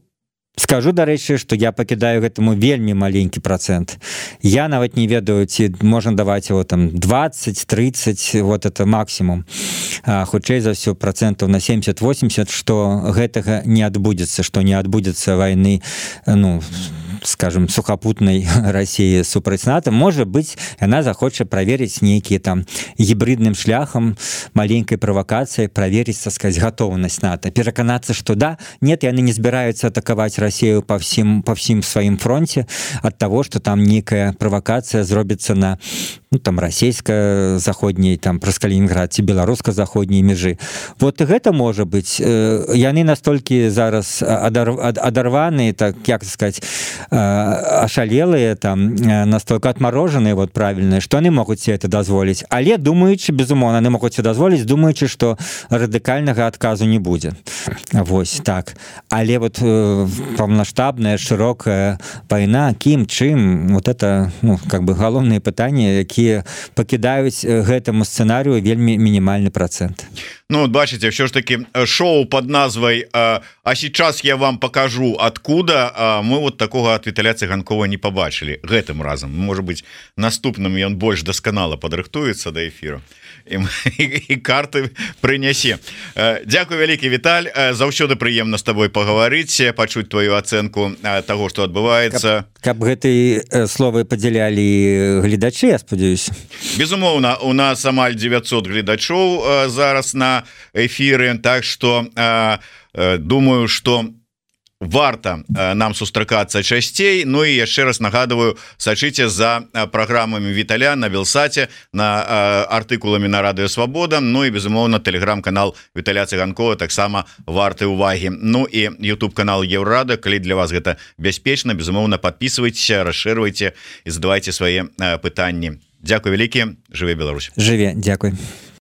скажу, дарэчы, што я пакідаю гэтаму вельмі маленькі працэнт. Я нават не ведаю, ці можна даваць его там двадцать тридцать, вот это максимум. А, хутчэй за ўсё процентаў на семьдесят восемьдесят, што гэтага не адбудзецца, што не адбудзецца вайны, ну скажем, сухапутнай России супраць НАТО. Можа быць, яна захоча праверыць нейкія там гібридным шляхам, маленькай правакацыяй праверыць, так сказать, гатоўнасць НАТО, пераканацца, што да, нет, яны не збіраюцца атакаваць Россию по всім по всім сваім фронте ад того, что там нейкая правакацыя зробіцца на ну, там расійска-заходняй, там праз Калінінград ці беларуска-заходняй межы. Вот гэта можа быць. Яны настолькі зараз адарваны, так як сказать, ашалелыя, там настолько отмороженыя, вот правильно, што яны могуць себе это дазволіць. Але думаючы, безумоўна, яны могуць себе дазволіць, думаючы, што радыкальнага адказу не будзе. Вось так. Але вот паўнамасштабная шырокая вайна, кім, чым, вот это ну, как бы галоўныя пытанні, якія пакідаюць гэтаму сцэнарыю вельмі мінімальны працэнт. Ну, вот бачите, все ж таки шоу под назвой «А сейчас я вам покажу откуда», а мы вот такого от Віталя Цыганкова не побачили гэтым разом. Может быть, наступным ён больш дасканала падрыхтуецца да эфиру і, і, і карты прынясе. Дзякуй вялікі, Віталь, заўсёды прыемна з тобой пагаварыць, пачуць твою ацэнку таго, што адбываецца. Каб, каб гэтыя словы падзялялі гледачы, я спадзяюсь. Безумоўна, у нас амаль девятьсот гледачоў зараз на эфиры, так что э, э, думаю, что варта э, нам сустракацца часцей. Ну и яшчэ раз нагадываю, сачыце за э, праграмамі Віталя на Белсаце, на э, артыкуламі на Радыё Свабода, ну и безумоўна телеграм-канал Віталя Цыганкова таксама варты увагі. Ну и YouTube канал Еўрада, калі для вас гэта бяспечна, безумоўна подписывайтесь, расширвайте и задавайте свае э, пытанні. Дзякуй вялікі, жыве Беларусь. Жыве, дзякуй.